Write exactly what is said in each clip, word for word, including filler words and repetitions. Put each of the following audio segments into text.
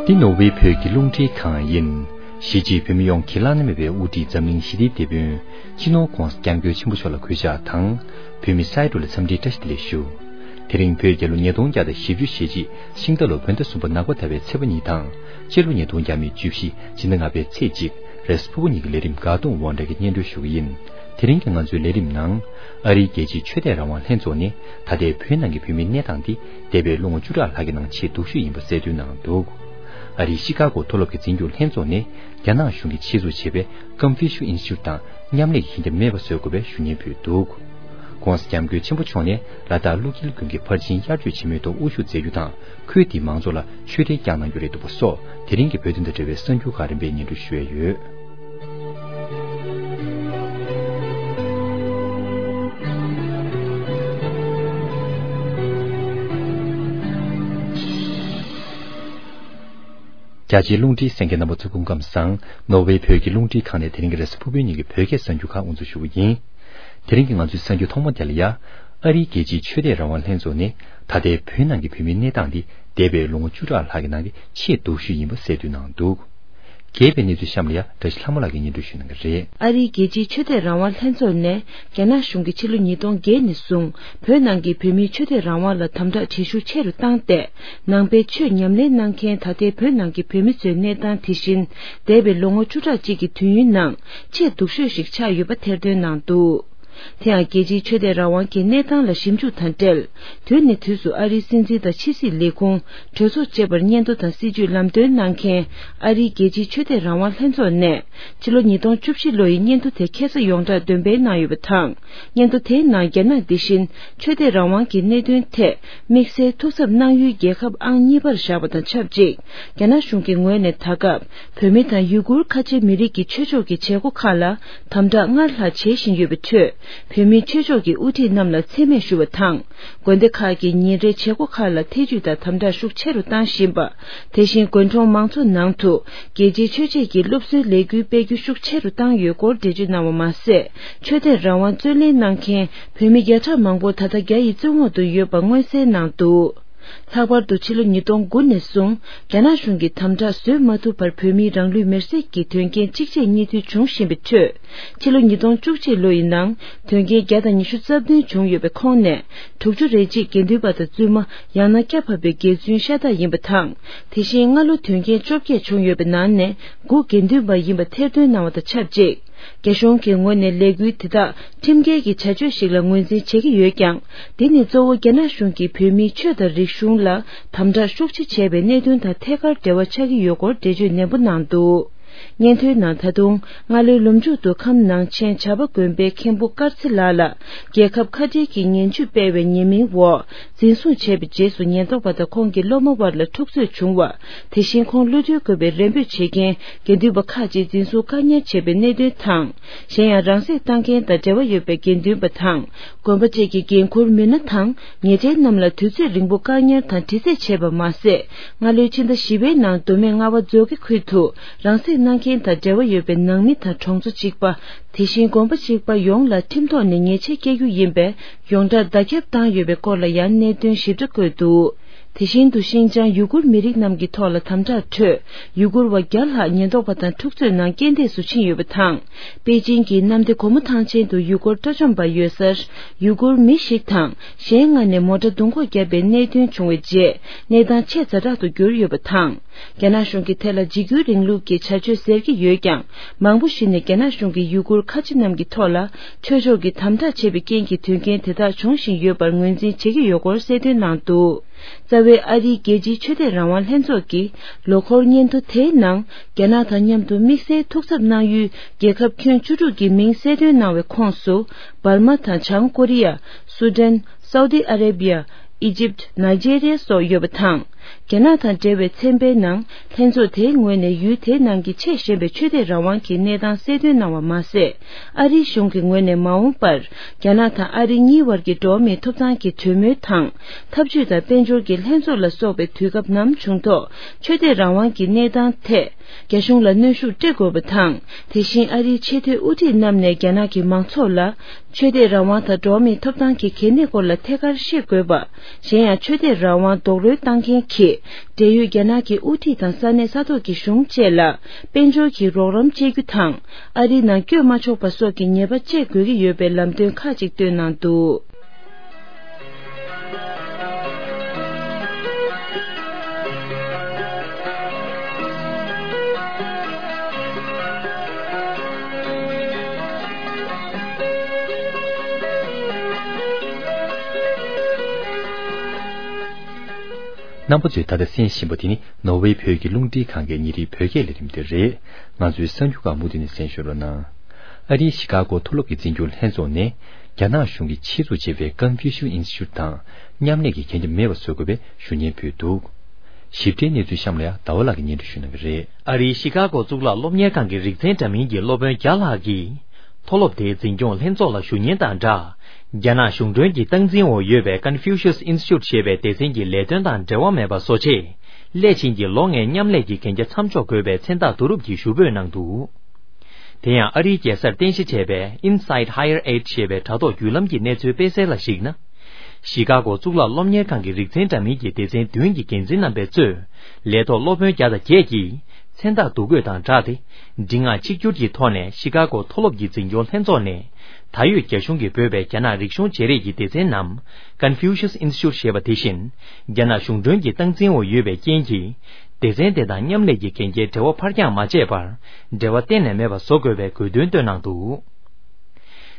འདི་ནོར་ཝེ་བོད་ཀྱི་རླུང་འཕྲིན་ཁང་ཡིན། གཞིས་བྱེས་བོད་མི་ཡོངས་ཀྱི་བླ་ན་མེད་པའི་དབུ་ཁྲིད་འཛམ་གླིང་ཞི་བདེའི་དེད་དཔོན་སྤྱི་ནོར་༧གོང་ས་༧སྐྱབས་མགོན་ཆེན་པོ་མཆོག་ལ་གུས་ཕྱག་དང་། བོད་མི་སའི་འགྲོ་ལ་འཚམས་འདྲིའི་བཀྲ་ཤིས་བདེ་ལེགས་ཞུ། དེ་རིང་བོད་རྒྱལ་ལོ་ཉིས་སྟོང་བརྒྱ་དང་བཞི་བཅུ་ཞེ་གཅིག་ཤིང་རྟ་ལོ་བོད་ཟླ་གསུམ་པ་ནག་པ་ཟླ་བའི་ཚེས་པ་གཉིས་དང་། སྤྱི་ལོ་ཉིས་སྟོང་བརྒྱ་མེད་བཅུ་བཞི་སྤྱི་ཟླ་ལྔ་པའི་ཚེས་གཅིག་རེས་གཟའ་ཕུར་བུ་ཉིན་གྱི་ལས་རིམ་འགག་སྟོང་དབང་གྲགས་ཀྱིས་སྙན་སྒྲོན་ཞུ་གི་ཡིན། དེ་རིང་གི་ང་ཚོའི་ལས་རིམ་ནང་། ཨ་རིའི་རྒྱལ་སྤྱིའི་ཆོས་དད་རང་དབང་ལྷན་ཚོགས་ནས་ད་ལྟའི་བོད་ནང་གི་བོད་མིའི་གནས་སྟངས་འདི་འདས་པའི་ལོ་ངོ་བཅུ་ཕྲག་ལྷག་གི་ནང་ཆེས་སྡུག་ཤོས་ཡིན་པ་གསལ་སྟོན་གནང་འདུག་ཨ་རིའི་ཤི་ཀ་གོ་མཐོ་སློབ་ཀྱི་འཛིན་སྐྱོང་ལྷན་ཚོགས་ནས་རྒྱ་ནག་གཞུང་གིས་ཆེད་འཛུགས་བྱས་པའི་Confucius Institute དང་མཉམ་ལས་ཀྱི་ཁེ་འབྲེལ་མེད་པ་བཟོ་དགོས་པའི་ཞུ་སྙན་ཕུལ་འདུག ྋགོང་ས་ྋསྐྱབས་མགོན་ཆེན་པོ་མཆོག་ནས་ལ་དྭགས་ཀླུ་རྒྱལ་དགོན་གྱི་ཕར་ཕྱིན་དབྱར་ཆོས་ཆེན་མོའི་ཐོག་དབུ་བཞུགས་མཛད་རྒྱུ་དང་། ཁུལ་དེའི་མང་ཚོགས་ལ་ཆོས་འབྲེལ་བསྐྱངས་གནང་རྒྱུ་རེད་འདུག་པ་སོགས་དེ་རིང་གི་བོད་དོན་དང་འབྲེལ་བའི་གསར་འགྱུར་ཁག་རིམ་པས་སྙན་སྒྲོན་ཞུ་ཡས་ཡོད། རྒྱ་ཆེའི་རླུང་འཕྲིན་གསན་མཁན་རྣམ་པ་ཚོ་སྐུ་ཁམས་བཟང་། ནོར་ཝེ་བོད་ཀྱི་རླུང་འཕྲིན་ཁང་ནས་དེ་རིང་གི་རེས་གཟའ་ཕུར་བུའི་ཉིན་གྱི་བོད་སྐད་གསར་འགྱུར་ཁག་དབུ་འཛུགས་ཞུ་གི་ཡིན། དེ་རིང་གི་ང་ཚོའི་གསར་འགྱུར་ཐོག་མ་དེ་ལ་ཡ། ཨ་རིའི་རྒྱལ་སྤྱིའི་ཆོས་དད་རང་དབང་ལྷན་ཚོགས་ནས་ད་ལྟའི་བོད་ནང་གི་བོད་མིའི་གནས་སྟངས་འདི་འདས་པའི་ལོ་ངོ་བཅུ་ཕྲག་ལྷག་གི་ནང་གི་ཆེས་སྡུག་ཤོས་ཡིན་པ་གསལ་སྟོན་གནང་འདུག་རྒྱས་པའི་གནས་ཚུལ་གཤམ་ལ་ཡ་བཀྲ་ཤིས་ལྷ་མོ་ལགས་ཀྱིས་སྙན་སྒྲོན་ཞུ་གནང་གི་རེད། ཨ་རིའི་རྒྱལ་སྤྱིའི་ཆོས་དད་རང་དབང་ལྷན་ཚོགས་ནས་རྒྱ་ནག་གཞུང་གིས་ཕྱི་ལོ་ཉིས་སྟོང་བརྒྱད་ནས་བཟུང་བོད་ནང་གི་བོད་མིའི་ཆོས་དད་རང་དབང་ལ་དམ་དྲག་བྱེད་ཤུགས་ཆེ་རུ་བཏང་སྟེ། ནང་པའི་ཆོས་ཉམས་ལེན་གནང་མཁན་ད་ལྟའི་བོད་ནང་གི་བོད་མི་ཚོའི་གནས་སྟངས་དེ་བཞིན་འདས་པའི་ལོ་ངོ་བཅུ་ཕྲག་གཅིག་གི་དུས་ཡུན་ནང་ཆེས་སྡུག་ཤོས་ཤིག་ཆགས་ཡོད་པ་ཐེར་འདོན་གནང་འདུག་དེ་ཡང་རྒྱལ་སྤྱིའི་ཆོས་དད་རང་དབང་གི་གནས་སྟངས་ལ་ཞིབ་འཇུག་དང་འབྲེལ། དུས་ནས་དུས་སུ་ཨ་རིའི་སྲིད་འཛིན་དང་ཕྱི་སྲིད་ལས་ཁུངས་གྲོས་ཚོགས་བཅས་པར་སྙན་ཐོ་དང་སྲིད་ཇུས་ལམ་སྟོན་གནང་མཁན་ཨ་རིའི་རྒྱལ་སྤྱིའི་ཆོས་དད་རང་དབང་ལྷན་ཚོགས་ནས་ཕྱི་ལོ་ཉིས་སྟོང་བཅུ་བཞི་ལོ་ཡི་སྙན་ཐོ་དེ་ཁ་སང་ཡོངས་གྲགས་འདོན་སྤེལ་གནང་ཡོད་པ་དང་། སྙན་ཐོ་དེའི་ནང་རྒྱ་ནག་འདི་བཞིན་ཆོས་དད་རང་དབང་གི་གནད་དོན་ཐད་དམིགས་བསལ་ཐུགས་འཚབ་གནང་ཡུལ་རྒྱལ་ཁབ་ཨང་གཉིས་པར་བཞག་པ་དང་ཆབས་ཅིག་རྒྱ་ནག་གཞུང་གི་ངོས་ནས་ད་སྐབས་བོད་མི་དང་ཡུ་གུར་ཁ་ཆེ་མི་རིགས་ཀྱི་ཆོས་ཕྱོགས་ཀྱི་བྱེད་སྒོ་ཁག་ལ་དམ་དྲག་སྔར་ལྷག་བྱེད་བཞིན་ཡོད་པའི་ཁྲོད། བོད་མིའི་ཆོས་ཕྱོགས་ཀྱི་དབུ་ཁྲིད་རྣམས་ལ་མཚན་སྨད་ཞུ་བ་དང་། དགོན་སྡེ་ཁག་གི་ཉིན་རེའི་བྱེད་སྒོ་ཁག་ལ་ཐེ་ཇུས་དང་དམ་དྲག་ཤུགས་ཆེ་རུ་བཏང་བཞིན་པ། དེ་བཞིན་དགོན་གྲོང་མང་ཚོགས་ནང་དུ་རྒྱལ་སྤྱིའི་ཆོས་བྱེད་ཀྱི་སློབ་གསོའི་ལས་འགུལ་སྤེལ་རྒྱུ་ཤུགས་ཆེ་རུ་བཏང་ཡོད་སྐོར་འགྲེལ་བརྗོད་གནང་བ་མ་ཟད། ཆོས་དད་རང་དབང་རྩོད་ལེན་གནང་མཁན་བོད་མི་བརྒྱ་ཕྲག་མང་པོ་ད་ལྟ་རྒྱ་ཡི་བཙོན་འོག་ཏུ་ཡོད་པ་མངོན་གསལ་གནང་འདུག་ལྷག་པར་དུ་ཕྱི་ལོ་ཉིས་སྟོང་དགུ་ནས་བཟུང་རྒྱ་ནག་གཞུང་གིས་དམ་དྲག་བཟོད་མ་ཐུབ་པར་བོད་མིའི་རང་ལུས་མེར་སྲེག་གི་དོན་རྐྱེན་གཅིག་རྗེས་གཉིས་མཐུད་བྱུང་བཞིན་པའི་ཁྲོད། ཕྱི་ལོ་ཉིས་སྟོང་བཅུ་གཅིག་ལོ་ཡི་ནང་དོན་རྐྱེན་བརྒྱ་དང་ཉི་ཤུ་རྩ་བདུན་བྱུང་ཡོད་པའི་ཁོངས་ནས་དྲུག་ཅུ་རེ་གཅིག་དགེ་འདུན་པ་དང་བཙུན་མ་ཡང་ན་སྐྱ་བབས་པའི་དགེ་བཙུན་ཤ་སྟག་ཡིན་པ་དང་། དེ་བཞིན་སྔ་ལོ་དོན་རྐྱེན་བཅོ་བརྒྱད་བྱུང་ཡོད་པའི་ནང་ནས་དགུ་དགེ་འདུན་པ་ཡིན་པ་ཐེར་འདོན་གནང་བ་དང་ཆབས་ཅིག་རྒྱ་གཞུང་གི་ངོས་ནས་ལས་འགུལ་དེ་དག་ཁྲིམས་འགལ་གྱི་བྱ་སྤྱོད་ཞིག་ལ་ངོས་འཛིན་བྱེད་ཀྱི་ཡོད་ཀྱང་། འདི་ནི་གཙོ་བོ་རྒྱ་ནག་གཞུང་གིས་བོད་མིའི་ཆོས་དང་རིག་གཞུང་ལ་དམ་དྲག་ཤུགས་ཆེ་བྱས་པའི་གནད་དོན་དང་ཐད་ཀར་འབྲེལ་བ་ཆགས་ཀྱི་ཡོད་སྐོར་འགྲེལ་བརྗོད་ནན་པོ་གནང་འདུག་སྙན་ཐོའི་ནང་ད་དུང་སྔ་ལོའི་ལོ་མཇུག་ཏུ་ཁམས་ནང་ཆེན་བྱ་བ་དགོན་པའི་མཁན་པོ་དཀར་ཚེ་ལགས་ལ་རྒྱལ་ཁབ་ཁ་བྲལ་གྱི་ངན་ཇུས་སྤེལ་བའི་ཉེས་མིང་འོག་འཛིན་བཟུང་བྱས་པའི་རྗེས་སུ་ཉེན་རྟོག་པ་དང་ཁོང་གི་སློབ་མ་བར་ལ་འཁྲུག་རྩོད་བྱུང་བ། དེ་བཞིན་ཁོང་གློད་གྲོལ་དགོས་པའི་རེ་འབོད་བྱེད་མཁན་དགེ་འདུན་པ་ཁག་ཅིག་འཛིན་བཟུང་བཀག་ཉར་བྱས་པའི་གནད་དོན་དང་། གཞན་ཡང་རང་སྲེག་བཏང་མཁན་དང་འབྲེལ་བ་ཡོད་པའི་དགེ་འདུན་པ་དང་། དགོན་པ་བཅས་ཀྱི་འགན་འཁུར་མི་སྣ་དང་ཉེ་འབྲེལ་རྣམས་ལ་དུས་ཚོད་རིང་པོ་བཀག་ཉར་དང་དྲི་རྩད་བྱས་པ་མ་ཟད། སྔ་ལོའི་ཕྱི་ཟླ་བཞི་པའི་ནང་མདོ་སྨད་རྔ་བ་མཛོད་དགེ་ཁུལ་དུ་རང་སྲེག་གནང་མཁན་དང་འབྲེལ་བ་ཡོད་པའི་ནང་མི་དང་གྲོང་ཚོ་གཅིག་པ། དེ་བཞིན་དགོན་པ་གཅིག་པ་ཡོངས་ལ་ཁྲིམས་ཐོག་ནས་ཉེས་ཆད་བཀལ་རྒྱུ་ཡིན་པས་ཡོངས་གྲགས་བརྡ་ཁྱབ་བཏང་ཡོད་པའི་སྐོར་ལ་ཡང་གནད་དོན་ཞིབ་ཕྲ་བཀོད་འདུག་དེ་བཞིན་དུ་ཤིན་ཅང་ཡུ་གུར་མི་རིགས་རྣམས་ཀྱི་ཐོག་ལ་དམ་དྲག་ཁྲོད་ཡུ་གུར་བ་བརྒྱ་ལྷག་ཉེན་རྟོག་པ་དང་འཁྲུག་རྩོད་ནང་རྐྱེན་འདས་སུ་ཕྱིན་ཡོད་པ་དང་། པེ་ཅིང་གི་གནམ་བདེ་སྒོ་མོ་ཐང་ཆེན་དུ་ཡུ་གུར་དྲ་བཅོམ་པ་ཡོད་སར་ཡུ་གུར་མི་ཞིག་དང་གཞན་ལྔ་ནས་མོ་ཊ་རྡུང་འཁོག་བརྒྱབ་པའི་གནད་དོན་བྱུང་བའི་རྗེས་གནས་སྟངས་ཆེས་ཛ་དྲག་ཏུ་གྱུར་ཡོད་པ་དང་། རྒྱ་ནག་གཞུང་གིས་དེ་ལ་འཇིགས་སྐུལ་རིང་ལུགས་ཀྱི་བྱ་སྤྱོད་ཟེར་གྱི་ཡོད་ཀྱང་། མང་པོ་ཞིག་ནས་རྒྱ་ནག་གཞུང་གིས་ཡུ་གུར་ཁ་ཆེ་རྣམས་ཀྱི་ཐོག་ལ་ཆོས་ཕྱོགས་ཀྱི་དམ་དྲག་བྱས་པའི་རྐྱེན་གྱིས་དོན་རྐྱེན་དེ་དག་བྱུང་བཞིན་ཡོད་པར་ངོས་འཛིན་བྱེད་ཀྱི་ཡོད་སྐོར་གསལ་སྟོན་གནང་འདུག་རྩ་བའི་ཨ་རིའི་རྒྱལ་སྤྱིའི་ཆོས་དད་རང་དབང་ལྷན་ཚོགས་ཀྱི་ལོ་འཁོར་སྙན་ཐོ་དེའི་ནང་རྒྱ་ནག་དང་མཉམ་དུ་དམིགས་བསལ་ཐུགས་འཚབ་གནང་ཡུལ་རྒྱལ་ཁབ་ཁྱོན་བཅུ་དྲུག་གི་མིང་གསལ་སྟོན་གནང་བའི་ཁོངས་སུ་འབར་མ་དང་བྱང་ཀོ་རི་ཡ། སུ་ཌན། སའུ་ཏི་ཨ་རེ་བི་ཡ། ཨི་ཇིབ། ནཱི་ཇེ་རི་ཡ་སོགས་ཡོད་པ་དང་། རྒྱ་ནག་དང་འབྲེལ་བའི་ཚན་པའི་ནང་ལྷན་ཚོགས་དེའི་ངོས་ནས་ཡུལ་དེའི་ནང་གི་ཆེས་ཞན་པའི་ཆོས་དད་རང་དབང་གི་གནས་སྟངས་གསལ་སྟོན་གནང་བ་མ་ཟད། ཨ་རིའི་གཞུང་གི་ངོས་ནས་མ་འོངས་པར་རྒྱ་ནག་དང་ཨ་རི་གཉིས་བར་གྱི་འགྲོ་བ་མིའི་ཐོབ་ཐང་གི་གྲོས་མོལ་དང་། འཐབ་ཇུས་དང་དཔལ་འབྱོར་གྱི་ལྷན་ཚོགས་ལ་སོགས་པའི་དུས་སྐབས་ནམ་བྱུང་ཐོག་ཆོས་དད་རང་དབང་གི་གནས་སྟངས་ཐད། རྒྱ་གཞུང་ལ་གནོན་ཤུགས་སྤྲད་དགོས་པ་དང་། དེ་བཞིན་ཨ་རིའི་ཆེས་མཐོའི་དབུ་ཁྲིད་རྣམས་ནས་རྒྱ་ནག་གི་མང་ཚོགས་ལ་ཆོས་དད་རང་དབང་དང་འགྲོ་བ་མིའི་ཐོབ་ཐང་གི་གལ་གནད་སྐོར་ལ་ཐད་ཀར་ཤེས་དགོས་པ། གཞན་ཡང་ཆོས་དད་རང་དབང་རྡོག་རོལ་བཏང་མཁན་གྱིས་ ཀྱིས། འབྲེལ་ཡོད་རྒྱ་ནག་གི་དབུ་ཁྲིད་དང་ས་གནས་ས་ཐོག་གི་གཞུང་བཅས་ལ། དཔལ་འབྱོར་གྱི་རོགས་རམ་སྤྲད་རྒྱུ་དང་། ཨ་རིའི་ནང་བསྐྱོད་མ་ཆོག་པ་སོགས་ཀྱི་ཉེས་པ་བཅད་དགོས་ཀྱི་ཡོད་པའི་ལམ་སྟོན་ཁག་ཅིག་བཏོན་གནང་འདུག། རྣམ་པ་ཚོས་ད་ལྟ་གསན་བཞིན་པ་དེ་ནི་ནོར་ཝེ་བོད་ཀྱི་རླུང་འཕྲིན་ཁང་གི་ཉིན་རེའི་བོད་སྐད་ལས་རིམ་དེ་རེད། ང་ཚོའི་གསར་འགྱུར་ཁག་མུ་མཐུད་ནས་གསན་ཞུ་རོགས་གནང་། ཨ་རིའི་ཤི་ཀ་གོ་མཐོ་སློབ་ཀྱི་འཛིན་སྐྱོང་ལྷན་ཚོགས་ནས། རྒྱ་ནག་གཞུང་གིས་ཆེད་འཛུགས་བྱས་པའི་ཀོན་ཕུའུ་ཤུ་ཨིན་སི་ཊི་ཊུཊ་དང་མཉམ་ལས་ཀྱི་གན་རྒྱ་མེད་པ་བཟོ་དགོས་པའི་ཞུ་སྙན་ཕུལ་འདུག། ཞིབ་ཕྲའི་གནས་ཚུལ་གཤམ་ལ་ཡང་ཟླ་བ་ལགས་ཀྱིས་སྙན་སྒྲོན་ཞུ་གནང་གི་རེད། ཨ་རིའི་ཤི་ཀ་གོ་གཙུག་ལག་སློབ་གཉེར་ཁང་གི་རིག་ཚན་འདྲ་མིན་གྱི་སློབ་དཔོན་བརྒྱ་ལྷག་གིས། མཐོ་སློབ་དེའི་འཛིན་སྐྱོང་ལྷན་ཚོགས་ལ་ཞུ་སྙན་དང་སྦྲགས། རྒྱ་ནག་གཞུང་གྲོན་གྱི་སྟངས་འཛིན་འོག་ཡོད་པའི་ཀོན་ཕུའུ་ཤུ་ཨིན་སི་ཊི་ཊུཊ་ཞེས་པའི་སྡེ་ཚན་གྱི་ལས་དོན་དང་འབྲེལ་བ་མེད་པ་བཟོ་ཆེད། སླད་ཕྱིན་གྱི་ལོ་ལྔའི་མཉམ་ལས་ཀྱི་གན་རྒྱ་མཚམས་འཇོག་དགོས་པའི་མཚན་རྟགས་བསྡུ་རུབ་ཀྱི་ཞུ་འབོད་གནང་འདུག། དེ་ཡང་ཨ་རིའི་རྒྱལ་སར་རྟེན་གཞི་བྱས་པའི་Inside Higher Ed ཞེས་པའི་དྲ་ཐོག་བརྒྱུད་ལམ་གྱི་གནས་ཚུལ་སྤེལ་གསལ་ལ་གཞིགས་ན། ཤི་ཀ་གོ་གཙུག་ལག་སློབ་གཉེར་ཁང་གི་རིག་ཚན་འདྲ་མིན་གྱི་སྡེ་ཚན་བདུན་གྱི་འགན་འཛིན་རྣམ་པས་གཙོས། ལས་ཐོག་སློབ་དཔོན་བརྒྱ་དང་བརྒྱད་ཀྱིས། མཚན་རྟགས་བསྡུ་དགོས་དང་སྦྲགས་ཏེ། འབྲི་སྔགས་གཅིག་གྱུར་གྱི་ཐོག་ནས་ཤི་ཀ་གོ་མཐོ་སློབ་ཀྱི་འཛིན་སྐྱོང་ལྷན་ཚོགས་ནས། ད་ཡོད་རྒྱ་གཞུང་གིས་འབོད་པའི་རྒྱ་ནག་རིག་གཞུང་བརྗེ་རེས་ཀྱི་སྡེ་ཚན་ནམ། Confucius Institute ཞེས་པ་དེ་བཞིན། རྒྱ་ནག་གཞུང་གྲོན་གྱི་སྟངས་འཛིན་འོག་ཡོད་པའི་རྐྱེན་གྱིས། སྡེ་ཚན་དེ་དང་མཉམ་ལས་ཀྱི་གན་རྒྱའི་འབྲེལ་བ་ཕར་འགྱངས་མ་བྱས་པར། འབྲེལ་བ་གཏན་ནས་མེད་པ་བཟོ་དགོས་པའི་དགོས་འདུན་བཏོན་གནང་འདུག།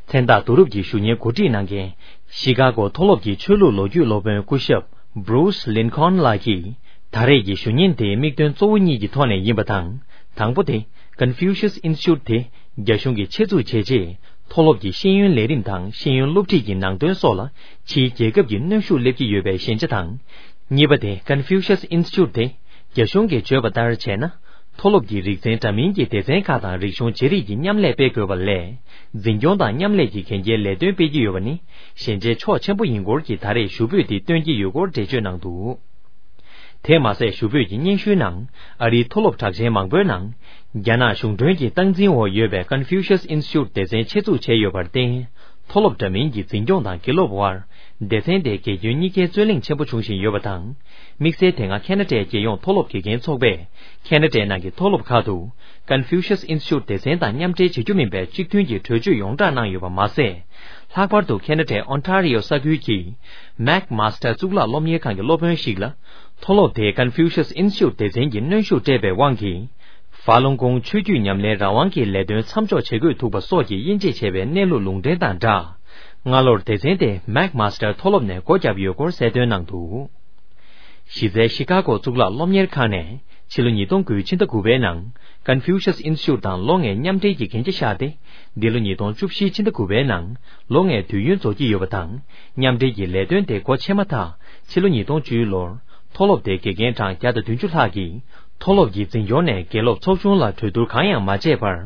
མཚན་རྟགས་བསྡུ་རུབ་ཀྱི་ཞུ་སྙན་གོ་སྒྲིག་གནང་མཁན། ཤི་ཀ་གོ་མཐོ་སློབ་ཀྱི་ཆོས་ལུགས་ལོ་རྒྱུས་སློབ་དཔོན་སྐུ་ཞབས། Bruce Lincoln ལགས་ཀྱིས། ད་རེས་ཀྱི་ཞུ་སྙན་དེའི་དམིགས་དོན་གཙོ་བོ་གཉིས་ཀྱི་ཐོག་ནས་ཡིན་པ་དང་། དང་པོ་དེ། Confucius Institute དེ། རྒྱ་གཞུང་གིས་ཆེད་འཛུགས་བྱས་རྗེས། མཐོ་སློབ་ཀྱི་ཤེས་ཡོན་ལས་རིམ་དང་ཤེས་ཡོན་སློབ་ཁྲིད་ཀྱི་ནང་དོན་སོགས་ལ། ཕྱིའི་རྒྱལ་ཁབ་ཀྱི་གནོན་ཤུགས་སླེབས་ཀྱི་ཡོད་པའི་ཞན་ཆ་དང་། གཉིས་པ་དེ། Confucius Institute དེ། རྒྱ་གཞུང་གིས་བརྗོད་པ་ལྟར་བྱས་ན། མཐོ་སློབ་ཀྱི་རིག་ཚན་འདྲ་མིན་གྱི་སྡེ་ཚན་ཁག་དང་རིག་གཞུང་བརྗེ་རེས་ཀྱི་མཉམ་ལས་སྤེལ་དགོས་པ་ལས། འཛིན་སྐྱོང་དང་མཉམ་ལས་ཀྱི་གན་རྒྱའི་ལས་དོན་སྤེལ་གྱི་ཡོད་པ་ནི། ཞན་ཆའི་ཕྱོགས་ཆེན་པོ་ཡིན་སྐོར་གྱི་ད་རེས་ཞུ་འབོད་འདི་བཏོན་གྱི་ཡོད་སྐོར་འགྲེལ་བརྗོད་གནང་འདུག། དེ་མ་ཟད་ཞུ་འབོད་ཀྱི་སྙན་ཞུའི་ནང་། ཨ་རིའི་མཐོ་སློབ་གྲགས་ཅན་མང་པོའི་ནང་། རྒྱ་ནག་གཞུང་གྲོན་གྱི་སྟངས་འཛིན་འོག་ཡོད་པའི་Confucius Institute སྡེ་ཚན་ཆེད་འཛུགས་བྱས་ཡོད་པར་བརྟེན། མཐོ་སློབ་འདྲ་མིན་གྱི་འཛིན་སྐྱོང་དང་དགེ་སློབ་དབར། སྡེ་ཚན་དེའི་དགེ་སྐྱོན་གཉིས་ཀའི་རྩོད་གླེང་ཆེན་པོ་བྱུང་བཞིན་ཡོད་པ་དང་། དམིགས་བསལ་དེ་སྔ་ཁེ་ན་ཌའི་རྒྱལ་ཡོངས་མཐོ་སློབ་དགེ་རྒན་ཚོགས་པས། ཁེ་ན་ཌའི་ནང་གི་མཐོ་སློབ་ཁག་ཏུ། Confucius Institute སྡེ་ཚན་དང་མཉམ་འབྲེལ་བྱེད་རྒྱུ་མིན་པའི་གཅིག་མཐུན་གྱི་གྲོས་ཆོད་ཡོངས་བསྒྲགས་གནང་ཡོད་པ་མ་ཟད། ལྷག་པར་དུ་ཁེ་ན་ཌའི་ཨོན་ཊ་རི་ཡོ་ས་ཁུལ་གྱི་Mac Master གཙུག་ལག་སློབ་གཉེར་ཁང་གི་སློབ་དཔོན་ཞིག་ལ། མཐོ་སློབ་དེས་Confucius Institute སྡེ་ཚན་གྱི་གནོན་ཤུགས་སྤྲད་པའི་དབང་གིས། ཧྥ་ལུང་ཀོང་ཆོས་བརྒྱུད་ཉམས་ལེན་རང་དབང་གི་ལས་དོན་མཚམས་འཇོག་བྱེད་དགོས་ཐུག་པ་སོགས་ཀྱི་དབྱེ་འབྱེད་བྱས་པའི་གནས་ལུགས་ལུང་འདྲེན་དང་སྦྲགས། སྔ་ལོར་སྡེ་ཚན་དེ་Mac Master མཐོ་སློབ་ནས་སྒོ་བརྒྱབ་ཡོད་སྐོར་གསལ་སྟོན་གནང་འདུག། གཞི་རྩའི་ཤི་ཀ་གོ་གཙུག་ལག་སློབ་གཉེར་ཁང་ནས་ཕྱི་ལོ་ཉིས་སྟོང་དགུ་ཕྱི་ཟླ་དགུ་པའི་ནང་Confucius Institute དང་ལོ་ལྔའི་མཉམ་འབྲེལ་གྱི་གན་རྒྱ་བཞག་སྟེ། འདི་ལོ་ཉིས་སྟོང་བཅུ་བཞི་ཕྱི་ཟླ་དགུ་པའི་ནང་ལོ་ལྔའི་དུས་ཡུན་རྫོགས་ཀྱི་ཡོད་པ་དང་། མཉམ་འབྲེལ་གྱི་ལས་དོན་དེ་སྒོ་ཕྱེ་མ་ཐག་ཕྱི་ལོ་ཉིས་སྟོང་བཅུའི་ལོར་མཐོ་སློབ་དེའི་དགེ་རྒན་གྲངས་བརྒྱ་དང་བདུན་ཅུ་ལྷག་གིས་མཐོ་སློབ་ཀྱི་འཛིན་སྐྱོང་ནས་དགེ་སློབ་ཚོགས་ཆུང་ལ་གྲོས་བསྡུར་གང་ཡང་མ་བྱས་པར།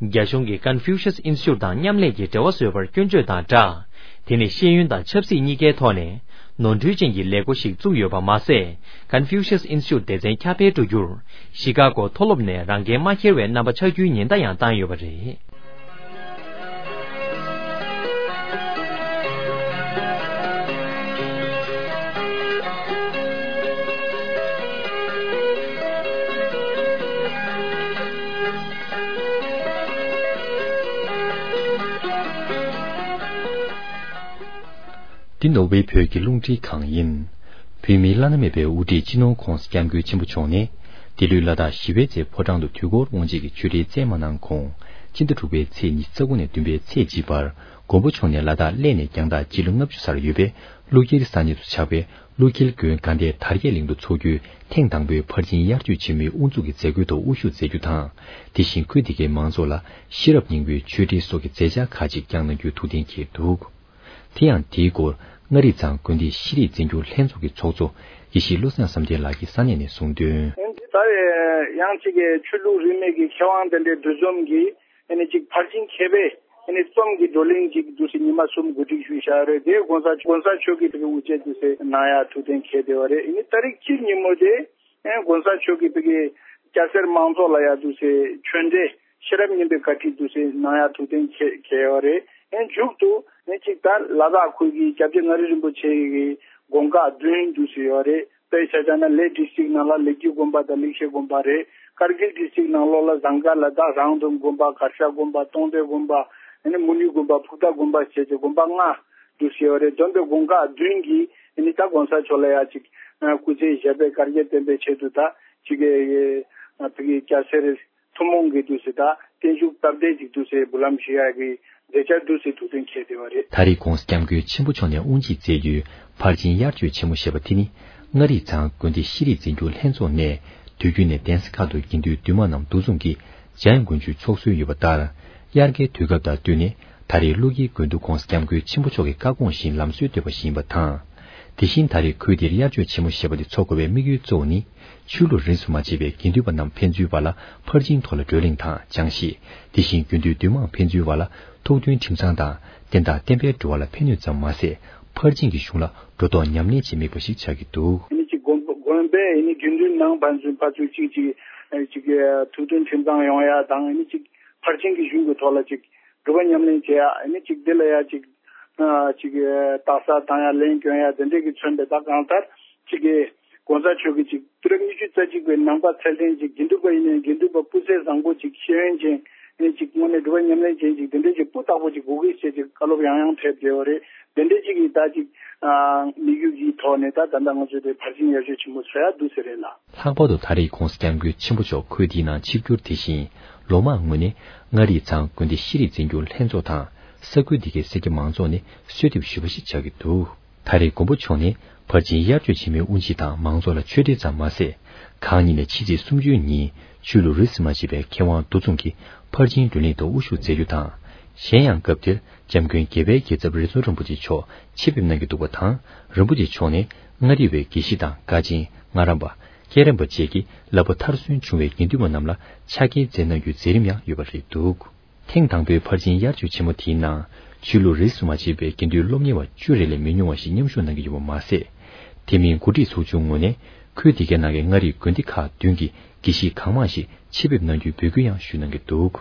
རྒྱ་གཞུང་གིས་Confucius Institute དང་མཉམ་ལས་ཀྱི་འབྲེལ་བ་བཟོས་པར་སྐྱོན་བརྗོད་དང་སྦྲགས། དེ་ནི་ཤེས་ཡོན་དང་ཆབ་སྲིད་གཉིས་ཀའི་ཐོག་ནས་ནོར་འཁྲུལ་ཅན་གྱི་ལས་འགོ་ཞིག་བཙུགས་ཡོད་པ་མ་ཟད། Confucius Institute སྡེ་ཚན་ཁྱབ་སྤེལ་འགྲོ་རྒྱུར་ཤི་ཀ་གོ་མཐོ་སློབ་ནས་རང་འགན་མ་འཁྱེར་བའི་རྣམ་པ་ཆགས་རྒྱུའི་ཉེན་བརྡ་ཡང་བཏང་ཡོད་པ་རེད། འདི་ནོར་ཝེ་བོད་ཀྱི་རླུང་འཕྲིན་ཁང་ཡིན། བོད་མིའི་བླ་ན་མེད་པའི་དབུ་ཁྲིད་སྤྱི་ནོར་༸གོང་ས་༸སྐྱབས་མགོན་ཆེན་པོ་མཆོག་ནས། འདི་ལོའི་ལ་དྭགས་ཞི་བའི་རྩེ་ཕོ་བྲང་དུ་དུས་འཁོར་དབང་ཆེན་གྱི་ཆོས་འབྲེལ་སྩལ་མ་གནང་གོང་། སྤྱི་ཟླ་དྲུག་པའི་ཚེས་ཉི་ཤུ་རྩ་དགུ་ནས་བདུན་པའི་ཚེས་གཅིག་བར། མགོན་པོ་མཆོག་ནས་ལ་དྭགས་གླེ་ནས་རྒྱང་ཐག་སྤྱི་ལོ་ལྔ་བཅུ་ཙམ་ཡོད་པའི་ཀླུ་འཁྱིལ་ས་གནས་སུ་ཆགས་པའི་ཀླུ་འཁྱིལ་དགོན་དགའ་ལྡན་དར་རྒྱས་གླིང་དུ་འཚོགས་རྒྱུའི་ཐེངས་དང་པོའི་ཕར་ཕྱིན་དབྱར་ཆོས་ཆེན་མོའི་དབུ་འཛུགས་ཀྱི་མཛད་སྒོའི་ཐོག་དབུ་བཞུགས་མཛད་རྒྱུ་དང་། དེ་བཞིན་ཁུལ་དེ་གའི་མང་ཚོགས་ལ་ཤེས་རབ་སྙིང་པོའི་ཆོས་འབྲེལ་སོགས་ཀྱི་མཛད་འཆར་ཁག་ཅིག་བསྐྱངས་གནང་རྒྱུའི་ཐུགས་གཏན་འཁེལ་འདུག། དེ་ཡང་དེའི་སྐོར་མངའ་རིས་ཚང་དགོན་སྡེའི་ཤེས་རིག་འཛིན་སྐྱོང་ལྷན་ཚོགས་ཀྱི་ཚོགས་གཙོ་དགེ་བཤེས་བློ་བཟང་བསམ་གཏན་ལགས་ཀྱིས་ས་གནས་ནས་གསུངས་དོན། ད་ཡང་གཅིག་གི་ཆོས་ལུགས་རིས་མེད་ཀྱི་མཁས་དབང་དེ་འདྲའི་འདུ་འཛོམས་ཀྱིས་ཨ་ནི་གཅིག་ཕར་ཕྱིན་མཁས་པའི་ཨ་ནི་རྩོམ་གྱི་བགྲོ་གླེང་གཅིག་འདུག་སེ་ཉི་མ་གསུམ་གོ་སྒྲིག་ཞུས་བཞག་རེད། དེ་གོང་ས་གོང་ས་མཆོག་གིས་དེ་གའི་དབུ་འབྱེད་འདུག་སེ་གནང་ཡ་ཐུགས་གཏན་འཁེལ་བསྡད་པ་རེད། ཨ་ནི་ཏ་རིག་གཅིག་ཉིན་མོ་དེ་ཨ་གོང་ས་མཆོག་གིས་དེ་གའི་སྐྱ་སེར་མང་ཚོགས་ལ་ཡ་འདུག་སེ་ཆོས་འབྲེལ་ཤེས་རབ་སྙིང་པོའི་བཀའ་ཁྲིད་འདུག་སེ་གནང་ཡ་ཐུགས་གཏན་འཁེལ་འཁེལ་ཡོད་རེད། ཨ་ནི་མཇུག་ཏུ་ཨ་ནི་གཅིག་ད་ལ་དྭགས་ཁུལ་གྱི་སྐྱབས་རྗེ་མངའ་རིས་རིན་པོ་ཆེ་གི་དགོངས་བཀའ་བདུན་འདུག་སེ་ཡོད་རེད། དཔེ་ཆ་བཞག་ན་ལེ་ཌིས་ཊིག་ནང་ལ་ལེགས་སྒྱུ་དགོན་པ་དང་ལེགས་བཤད་དགོན་པ་རེད། ཀར་གིལ་ཌིས་ཊིག་ནང་ལོགས་ལ་ཟངས་དཀར་ལ་དྭགས་རང་འདོམས་དགོན་པ། གར་ཞ་དགོན་པ། སྟོང་སྡེ་དགོན་པ། ཨ་ནི་མུ་ནི་དགོན་པ། ཕུག་ཐ་དགོན་པ་བྱས་ཏེ་དགོན་པ་ལྔ་འདུག་ཟེར་བ་རེད། འདོན་པའི་དགོན་ཁག་བདུན་གྱིས་ཨ་ནི་ད་གོང་ས་མཆོག་ལ་ཡ་ཅིག་སྐུ་ཚེ་ཞབས་པད་བསྐལ་བརྒྱར་བརྟན་པའི་ཆེད་དུ་ད་ཅིག་ཨ་ཕ་གི་སྐྱ་སེར་ཐུན་མོང་གི་འདུག་ཟེར། ད་བརྟན་བཞུགས་སྟབས་བདེ་ཅིག་འདུག་ཟེར་འབུལ་ལམ་ཞུ་ཡ་གི་མཛད་འཆར་འདུག་ཟེར་ཐུགས་གཏན་འཁེལ་བསྡད་པ་རེད། ད་རེས་༧གོང་ས་༧སྐྱབས་མགོན་ཆེན་པོ་མཆོག་ནས་དབུ་འབྱེད་མཛད་རྒྱུའི་ཕར་ཕྱིན་དབྱར་ཆོས་ཆེན་མོ་ཞེས་པ་དེ་ནི། མངའ་རིས་ཚང་དགོན་སྡེ་ཤེས་རིག་འཛིན་སྐྱོང་ལྷན་ཚོགས་ནས་དུས་རྒྱུན་ནས་གདན་ས་ཁག་ཏུ་དགེ་འདུན་འདུས་མང་རྣམས་འདུ་འཛོམས་ཀྱིས་འཇམ་དབྱངས་དགོན་མཇུག་འཚོགས་སྲོལ་ཡོད་པ་ལྟར། དབྱར་ཁའི་དུས་སྐབས་དང་བསྟུན་ནས་ད་རེས་ཀླུ་རྒྱལ་དགོན་དུ་༧གོང་ས་༧སྐྱབས་མགོན་ཆེན་པོ་མཆོག་གི་བཀའ་དགོངས་བཞིན་ལམ་སྲོལ་བཏོད་པ་ཞིག་ཡིན་པ་དང་། དེ་བཞིན་ད་རེས་ཁུལ་འདིར་དབྱར་ཆོས་ཆེན་མོ་ཞེས་པ་འདི་འཚོགས་དགོས་པའི་དམིགས་ཡུལ་གཙོ་བོ་ནི། ཆོས་ལུགས་རིས་སུ་མ་ཆད་པའི་དགེ་འདུན་པ་རྣམས་ཕན་ཚུན་བར་ལ་ཕར་ཕྱིན་ཐོག་ལ་བགྲོ་གླེང་དང་སྦྱང་གཞི། དེ་བཞིན་དགེ་འདུན་འདུས་མང་ཕན་ཚུན་བར་ལ་ཐུགས་མཐུན་ཁྲིམས་གཙང་དང་བསྟན་དང་བསྟན་པའི་འགྲོ་བ་ལ་ཕན་ནུས་ཙམ་མ་ཟད། ཕར་ཕྱིན་གྱི་གཞུང་ལ་འགྲོ་ལྡོག་ཉམས་ལེན་བྱེད་དམིགས་པ་ཞིག་ཆགས་ཀྱི་འདུག་ཨ་ནི་ཅིག་དགོན་དགོན་པའི་ཨ་ནི་དགེ་འདུན་ནང་ཕན་ཚུན་ཕར་ཚུར་ཅིག་ཅིག་ཨ་ཅིག་ཨ་ཐུགས་མཐུན་ཁྲིམས་གཙང་ཡོང་ཡ་དང་། ཨ་ནི་ཅིག་ཕར་ཕྱིན་གྱི་གཞུང་གི་ཐོག་ལ་ཅིག་སྒྲུབ་པ་ཉམས་ལེན་བྱེད་ཡ། ཨ་ནི་ཅིག་འདི་ལ་ཡ་ཅིག་ཨ་ཅིག་ཨ་རྟགས་གསལ་བཏང་ཡ། ལན་སྐྱོན་ཡ་དེ་འདྲས་ཀྱི་མཚོན་པའི། ད་གང་ལྟར་ཅིག་གི་གོང་ས་མཆོག་གིས་ཅིག་དུས་རབས་ཉི་ཤུ་རྩ་གཅིག་པའི་ནང་པ་ཚད་ལྡན་ཅིག་དགེ་འདུན་པ་ཡིན་ནའི་དགེ་འདུན་པ་སྤུས་ཚད་བཟང་པོ་ཅིག་ཤེས་ཡོན་ཅན། ཨེ་ཅིག་དངོས་གནས་སྒྲུབ་པ་ཉམས་ལེན་ཅན་ཅིག་དེ་འདྲས་ཅིག་སྤུས་དག་པོ་ཅིག་དགོས་ཀྱི་ཞེས་ཅིག་བཀའ་སློབ་ཡང་ཡང་ཕེབས་བསྡད་པ་རེད། དེ་འདྲས་ཅིག་གིས་ད་ཅིག་ཨ་དམིགས་ཡུལ་གྱི་ཐོག་ནས་ད་ད་ལྟ་ང་ཚོས་དེ་ཕར་ཕྱིན་དབྱར་ཆོས་ཆེན་མོ་འཚོགས་ཡ་འདུག་ཟེར་རེད་ལ། ལྷག་པར་དུ་ད་རེས་༧གོང་ས་༧སྐྱབས་མགོན་ཆེན་པོ་མཆོག་ཁུལ་འདིའི་ནང་ཆིབས་བསྒྱུར། དེ་བཞིན་ལོ་མང་སྔོན་ནས་མངའ་རིས་ཚང་དགོན་སྡེ་ཤེས་རིག་འཛིན་སྐྱོང་ལྷན་ཚོགས་དང་ས་ཁུལ་འདི་གའི་སེར་སྐྱ་མང་ཚོགས་ནས་གསོལ་འདེབས་ཞུས་པ་ཞིག་ཆགས་ཀྱི་འདུག་ད་རེས་མགོན་པོ་མཆོག་ནས་ཕར་ཕྱིན་དབྱར་ཆོས་ཆེན་མོའི་དབུ་འབྱེད་དང་མང་ཚོགས་ལ་ཆོས་འབྲེལ་ཙམ་མ་ཟད། གང་ཉིད་ནས་ཕྱི་ཚེས་སུམ་ཅུའི་ཉིན་ཆོས་ལུགས་རིས་སུ་མ་ཆད་པའི་མཁས་དབང་འདུ་འཛོམས་ཀྱི་ཕར་ཕྱིན་བགྲོ་གླེང་དུ་དབུ་བཞུགས་མཛད་རྒྱུ་དང་། གཞན་ཡང་སྐབས་དེར་༧འཇམ་མགོན་རྒྱལ་བའི་རྒྱལ་ཚབ་རི་རྫོང་རིན་པོ་ཆེ་མཆོག་ཆེད་ཕེབས་གནང་རྒྱུ་འདུག་པ་དང་། རིན་པོ་ཆེ་མཆོག་ནས་མངའ་རིས་པའི་དགེ་བཤེས་དང་དགའ་ཆེན། ངྷ་རམས་པ། སྐྱེས་རམས་པ་བཅས་ཀྱི་བསླབ་པ་མཐར་སོན་བྱུང་བའི་དགེ་འདུན་པ་རྣམས་ལ་ཕྱག་འཁྱེར་སྩལ་གནང་རྒྱུའི་མཛད་རིམ་ཡང་ཡོད་པ་རེད་འདུག་ཐེངས་དང་པོའི་ཕར་ཕྱིན་དབྱར་ཆོས་ཆེན་མོ་དེའི་ནང་ཆོས་ལུགས་རིས་སུ་མ་ཆད་པའི་དགེ་འདུན་སློབ་གཉེར་བ་བཅུ་རེ་ལས་མི་ཉུང་བ་ཞིག་མཉམ་ཞུགས་གནང་གི་ཡོད་པ་མ་ཟད། དེ་མིན་འགོ་ཁྲིད་ཚོགས་ཆུང་ངོས་ནས་ཁུལ་དེ་གའི་ནང་གི་མངའ་རིས་དགོན་སྡེ་ཁག་བདུན་གྱི་དགེ་བཤེས་གང་མང་ཞིག་ཆེད་ཕེབས་གནང་རྒྱུའི་འབོད་སྐུལ་ཡང་ཞུས་གནང་གི་འདུག་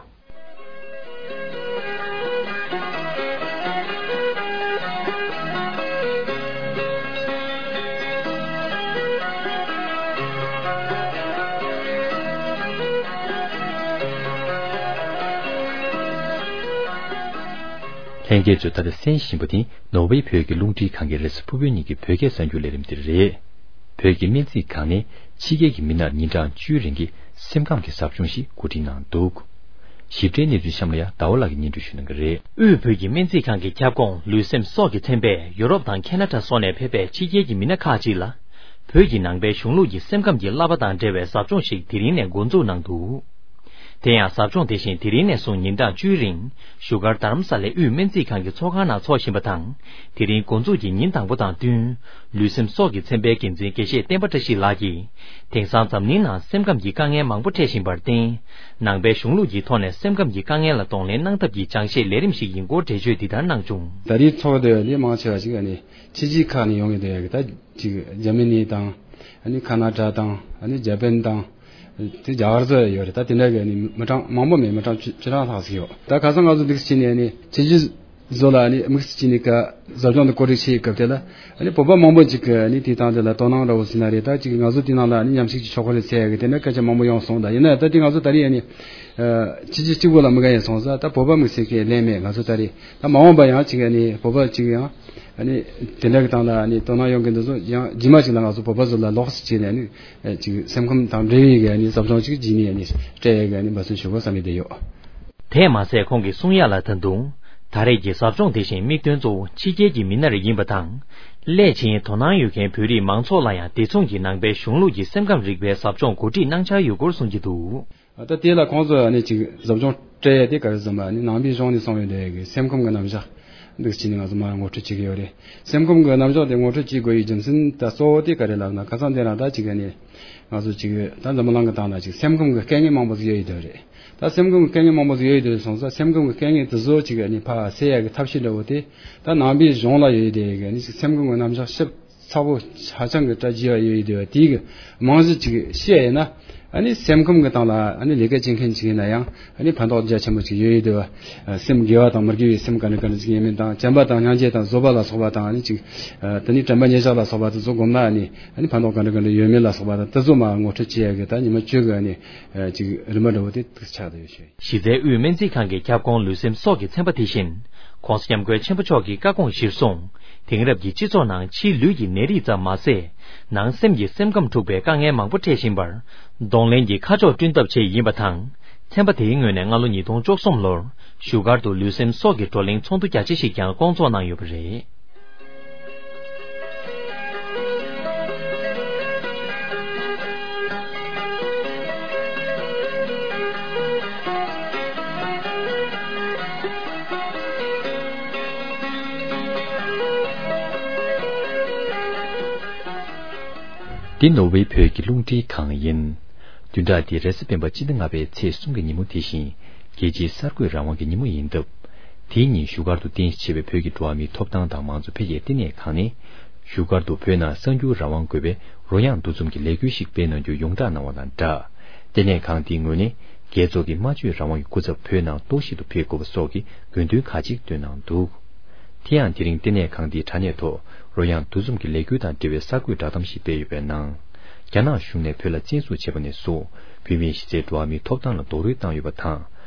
ལྷན་རྒྱས་ཚོས་ད་ལྟ་གསན་བཞིན་པ་དེ་ནོར་ཝེ་བོད་ཀྱི་རླུང་འཕྲིན་ཁང་གི་རེས་གཟའ་ཕུར་བུའི་ཉིན་གྱི་བོད་སྐད་གསར་འགྱུར་ལས་རིམ་དེ་རེད། བོད་ཀྱི་སྨན་རྩིས་ཁང་ནས་ཕྱི་རྒྱལ་གྱི་མི་སྣར་ཉིན་གྲངས་བཅུའི་རིང་གི་སེམས་ཁམས་ཀྱི་ཟབ་སྦྱོང་ཞིག་གོ་སྒྲིག་གནང་འདུག་ཞིབ་ཕྲའི་གནས་ཚུལ་གཤམ་ལ་ཡང་ཟླ་བ་ལགས་ཀྱིས་སྙན་སྒྲོན་ཞུ་གནང་གི་རེད། དབུས་བོད་ཀྱི་སྨན་རྩིས་ཁང་གི་ཁྱབ་ཁོངས་ལུས་སེམས་སྲོག་གི་ཚན་པས་ཡུ་རོབ་དང་ཁེ་ན་ཌ་སོགས་ནས་ཕེབས་པའི་ཕྱི་རྒྱལ་གྱི་མི་སྣ་ཁག་ཅིག་ལ། བོད་ཀྱི་ནང་པའི་གཞུང་ལུགས་ཀྱི་སེམས་ཁམས་ཀྱི་བསླབ་པ་དང་འབྲེལ་བའི་ཟབ་སྦྱོང་ཞིག་དེ་རིང་ནས་འགོ་འཛུགས་གནང་འདུག་དེ་ཡང་ཟབ་སྦྱོང་དེ་བཞིན་དེ་རིང་ནས་བཟུང་ཉིན་གྲངས་བཅུའི་རིང་བཞུགས་སྒར་རྡ་རམ་ས་ལའི་དབུས་སྨན་རྩིས་ཁང་གི་ཚོགས་ཁང་ནང་འཚོགས་བཞིན་པ་དང་། དེ་རིང་འགོ་འཛུགས་ཀྱི་ཉིན་དང་པོ་དང་བསྟུན། ལུས་སེམས་སྲོག་གི་ཚན་པའི་འགན་འཛིན་དགེ་བཤེས་བསྟན་པ་བཀྲ་ཤིས་ལགས་ཀྱིས། དེང་སང་འཛམ་གླིང་ནང་སེམས་ཁམས་ཀྱི་དཀའ་ངལ་མང་པོ་འཕྲད་བཞིན་པར་བརྟེན། ནང་པའི་གཞུང་ལུགས་ཀྱི་ཐོག་ནས་སེམས་ཁམས་ཀྱི་དཀའ་ངལ་ལ་གདོང་ལེན་གནང་ཐབས་ཀྱི་སྦྱང་བཤད་ལས་རིམ་ཞིག་ཡིན་སྐོར་འགྲེལ་བརྗོད་འདི་ལྟར་གནང་བྱུང་། ད་རེས་ཚོགས་འདུ་ལས་མང་ཆེ་བ་ཞིག་ཨ་ནི་ཕྱི་རྒྱལ་ཁག་ནས་ཡོང་གི་འདུག་ཡ་གི། ད་ཅིག་འཇར་མ་ནི་དང་། ཨ་ནི་ཁ་ན་ཌ་དང་། ཨ་ནི་ཇ་པན་དང་། དེ་རྒྱ་གར་ཚོ་ཡོད་རེད། ད་དེ་འདྲ་གི་ནི་མི་གྲངས་མང་པོ་མེད། མི་གྲངས་བཅུ་བཅུ་གྲངས་ལྷག་ཙམ་ཡོད། ད་ཁ་སང་ང་ཚོ་འདུག་སེ་བྱས་ནས་ནི་ཕྱི་རྒྱལ་བཟོ་ལ་ནི་དམིགས་བསལ་གྱི་ནི་ཀ་ཟབ་སྦྱོང་དུ་གོ་སྒྲིག་བྱེད་སྐབས་དེ་ལ་ནི་བོད་པ་མང་པོ་ཅིག་གི་ནི་དེ་དང་དེ་ལ་དོ་སྣང་འདྲ་བོ་ཟེར་ན་རེད། ད་ཅིག་ང་ཚོ་དེ་ནང་ལ་ནི་མཉམ་ཞུགས་ཀྱི་ཆོག་གི་རེད་ཟེར་ཡ་གི་དེ་འདྲ་སྐད་ཆ་མང་པོ་ཡོང་སོང་། ད་ཡིན་ན་ད་དེ་ང་ཚོ་ད་རེས་ཡ་ནི་ཕྱི་རྒྱལ་གཅིག་པོ་ལ་མི་དགའ་ཡ་སོང་ཙང་ད་བོད་པ་དམིགས་བསལ་གྱི་ལན་མེད། ང་ཚོ་ད་རེས་ད་མ་འོངས་པ་ཡང་ཅིག་ནི་བོད་པ་ཅིག་ཡང་། ཨ་ནི་དེ་འདྲ་གི་སྟེང་ལ་ཨ་ནི་དོ་སྣང་ཡོང་གི་འདུག་བཟོ་ཡང་རྗེས་མ་ཞིག་ལ་ང་ཚོ་བོད་པ་ཚོ་ལ་ལོགས་སུ་བྱས་ནས་ཨ་ནི་ཅིག་སེམས་ཁམས་དང་འབྲེལ་བའི་གི་ཨ་ནི་ཟབ་སྦྱོང་ཅིག་བྱས་ནས་ཨ་ནི་སྤྲད་ཡས་གི་ཨ་ནི་འབད་བརྩོན་ཞུ་དགོས་བསམ་གྱི་བསྡད་ཡོད། དེས་མ་ཟད་ཁོང་གིས་གསུང་ཡ་ལ་ད་དུང་ད་རེས་ཀྱི་ཟབ་སྦྱོང་དེ་བཞིན་དམིགས་དོན་གཙོ་བོ་ཕྱི་རྒྱལ་གྱི་མི་སྣ་རེ་ཡིན་པ་དང་། སླད་ཕྱིན་དོ་སྣང་ཡོད་མཁན་བོད་རིགས་མང་ཚོགས་ལ་ཡང་དེ་མཚུངས་ཀྱི་ནང་པའི་གཞུང་ལུགས་ཀྱི་སེམས་ཁམས་རིག་པའི་ཟབ་སྦྱོང་གོ་སྒྲིག་གནང་འཆར་ཡོད་སྐོར་གསུང་གི་འདུག་ད་དེ་ལ་ཁོང་ཚོས་ཨ་ནི་ཅིག་ཟབ་སྦྱོང་སྤྲད་ཡ་དེ་ག་རེ་ཟེར་ན་ཨ་ནི་ནང་པའི་གཞུང་ནས་གསུངས་ཡོད་དེ་གི་སེམས་ཁམས་ཀྱི་རྣམ་གཞག་འདུག་ཅིག་ནི་ང་ཚོ་མར་ངོ་སྤྲོད་བྱེད་ཀྱི་ཡོད་རེད། སེམས་ཁམས་ཀྱི་རྣམ་གཞག་དེ་ངོ་སྤྲོད་བྱེད་དགོས་ཡའི་རྒྱུ་མཚན་ད་གཙོ་བོ་དེ་ག་རེ་ལབ་ན་ཁ་སང་དེ་རིང་ད་ཅིག་ཨ་ནི་ང་ཚོ་ཅིག་ད་འཛམ་བུ་གླིང་གི་སྟེང་ལ་ཅིག་སེམས་ཁམས་ཀྱི་དཀའ་ངལ་མང་པོ་ཞིག་ཡོད་ཡོད་དེ་རེད། ད་སེམས་ཁམས་ཀྱི་དཀའ་ངལ་མང་པོ་ཞིག་ཡོད་ཡོད་དེ་སོང་ཙང་སེམས་ཁམས་ཀྱི་དཀའ་ངལ་དེ་ཚོ་ཅིག་ཨ་ནི་ཕར་སེལ་ཡ་གི་ཐབས་ཤེས་འདྲ་བོ་དེ་ད་ནང་པའི་གཞུང་ལ་ཡོད་ཡོད་དེ་གི་ཨ་ནི་ཅིག་སེམས་ཁམས་ཀྱི་རྣམ་གཞག་ཞིབ་ཚགས་པོ་ཧ་ཅང་གི་བཀྲ་རྒྱས་པ་ཡོད་ཡོད་དེ་བ་དེའི་གི་རྨང་གཞི་ཅིག་བཤད་ཡིན་ན། ཨ་ནི་སེམས་ཁམས་ཀྱི་སྟེང་ལ་ཨ་ནི་ལས་ཀ་བྱེད་མཁན་ཅིག་ཡིན་ན་ཡང་ཨ་ནི་ཕན་ཐོགས་རྒྱ་ཆེན་པོ་ཅིག་ཡོད་ཡོད་དེ་བ། སེམས་དགེ་བ་དང་མི་དགེ་བའི་སེམས་ག་འདྲ་ག་འདྲ་ཅིག་ཡིན་མིན་དང་བྱམས་པ་དང་སྙིང་རྗེ་དང་བཟོད་པ་ལ་སོགས་པ་དང་ཨ་ནི་ཅིག་དེ་ནི་དྲན་པ་ཉེར་བཞག་ལ་སོགས་པ་དེ་ཚོ་སྒོམ་ན་ཨ་ནི་ཨ་ནི་ཕན་ཐོགས་ག་འདྲ་ག་འདྲ་ཡོད་མེད་ལ་སོགས་པ་དང་དེ་ཚོ་མ་ངོ་སྤྲོད་བྱེད་ཡ་གི་ད་ཉི་མ་བཅུ་གི་ཨ་ནི་ཅིག་རིམ་པ་འདྲ་བོ་དེ་ཆགས་བསྡད་ཡོད་ཤོད། གཞི་རྩའི་དབུས་སྨན་རྩིས་ཁང་གི་ཁྱབ་ཁོངས་ལུས་སེམས་སྲོག་གི་ཚན་པ་དེ་བཞིན། ༸གོང་ས་༸སྐྱབས་མགོན་ཆེན་པོ་མཆོག་གི་བཀའ་དགོངས་གཞིར་བཟུང་། དེང་རབས་ཀྱི་སྤྱི་ཚོགས་ནང་ཕྱིའི་ལུས་ཀྱི་ནད་རིགས་ཙམ་མ་ཟད། ནང་སེམས་ཀྱི་སེམས་ཁམས་འཁྲུགས་པའི་དཀའ་ངལ་མང་པོ་འཕྲད་བཞིན་པར། གདོང་ལེན་གྱི་ཁ་ཕྱོགས་བསྐྲུན་ཐབས་ཆེད་ཡིན་པ་དང་། ཚན་པ་དེའི་ངོས་ནས་སྔ་ལོ་ཉིས་སྟོང་བཅུ་གསུམ་ལོར། བཞུགས་སྒར་དུ་ལུས་སེམས་སྲོག་གི་བགྲོ་གླེང་ཚོགས་འདུ་རྒྱ་ཆེ་ཞིག་ཀྱང་བསྐོང་ཚོགས་གནང་ཡོད་པ་རེད། འདི་ནོར་ཝེ་བོད་ཀྱི་རླུང་འཕྲིན་ཁང་ཡིན། བདུན་ཕྲག་འདིའི་རེས་གཟའ་སྤེན་པ་སྤྱི་ཟླ་ལྔ་པའི་ཚེས་གསུམ་གྱི་ཉིན་མོ་དེ་བཞིན། རྒྱལ་སྤྱིའི་གསར་འགོད་རང་དབང་གི་ཉིན་མོ་ཡིན་སྟབས། དེའི་ཉིན་བཞུགས་སྒར་དུ་རྟེན་གཞི་བྱས་པའི་བོད་ཀྱི་འགྲོ་བ་མིའི་ཐོབ་ཐང་དང་མང་གཙོ་འཕེལ་རྒྱས་ལྟེ་གནས་ཁང་ནས། བཞུགས་སྒར་དུ་བོད་ནང་གསར་འགྱུར་རང་དབང་དགོས་པའི་རོལ་དབྱངས་འདུ་འཛོམས་ཀྱི་ལས་འགུལ་ཞིག་སྤེལ་གནང་རྒྱུ་ཡོངས་བསྒྲགས་གནང་བ་དང་སྦྲགས། ལྟེ་གནས་ཁང་དེའི་ངོས་ནས། རྒྱལ་ཚོགས་ཀྱི་སྨྲ་བརྗོད་རང་དབང་གི་སྐུ་ཚབ་བོད་ནང་ལྟོགས་ཤི་ཏུ་ཕེབས་དགོས་པ་སོགས་ཀྱི་དགོས་འདུན་ཁག་ཅིག་བཏོན་གནང་འདུག་དེ་ཡང་དེ་རིང་ལྟེ་གནས་ཁང་འདིའི་དྲ་གནས་ཐོག་རོལ་དབྱངས་འདུ་འཛོམས་ཀྱི་ལས་འགུལ་དང་འབྲེལ་བའི་གསར་འགོད་བསྒྲགས་གཏམ་ཞིག་སྤེལ་ཡོད་པའི་ནང་། རྒྱ་ནག་གཞུང་ནས་བོད་ལ་བཙན་འཛུལ་བྱས་པ་ནས་བཟུང་། བོད་མིའི་གཞི་རྩའི་འགྲོ་བ་མིའི་ཐོབ་ཐང་ལ་རྡོག་རོལ་བཏང་ཡོད་པ་དང་།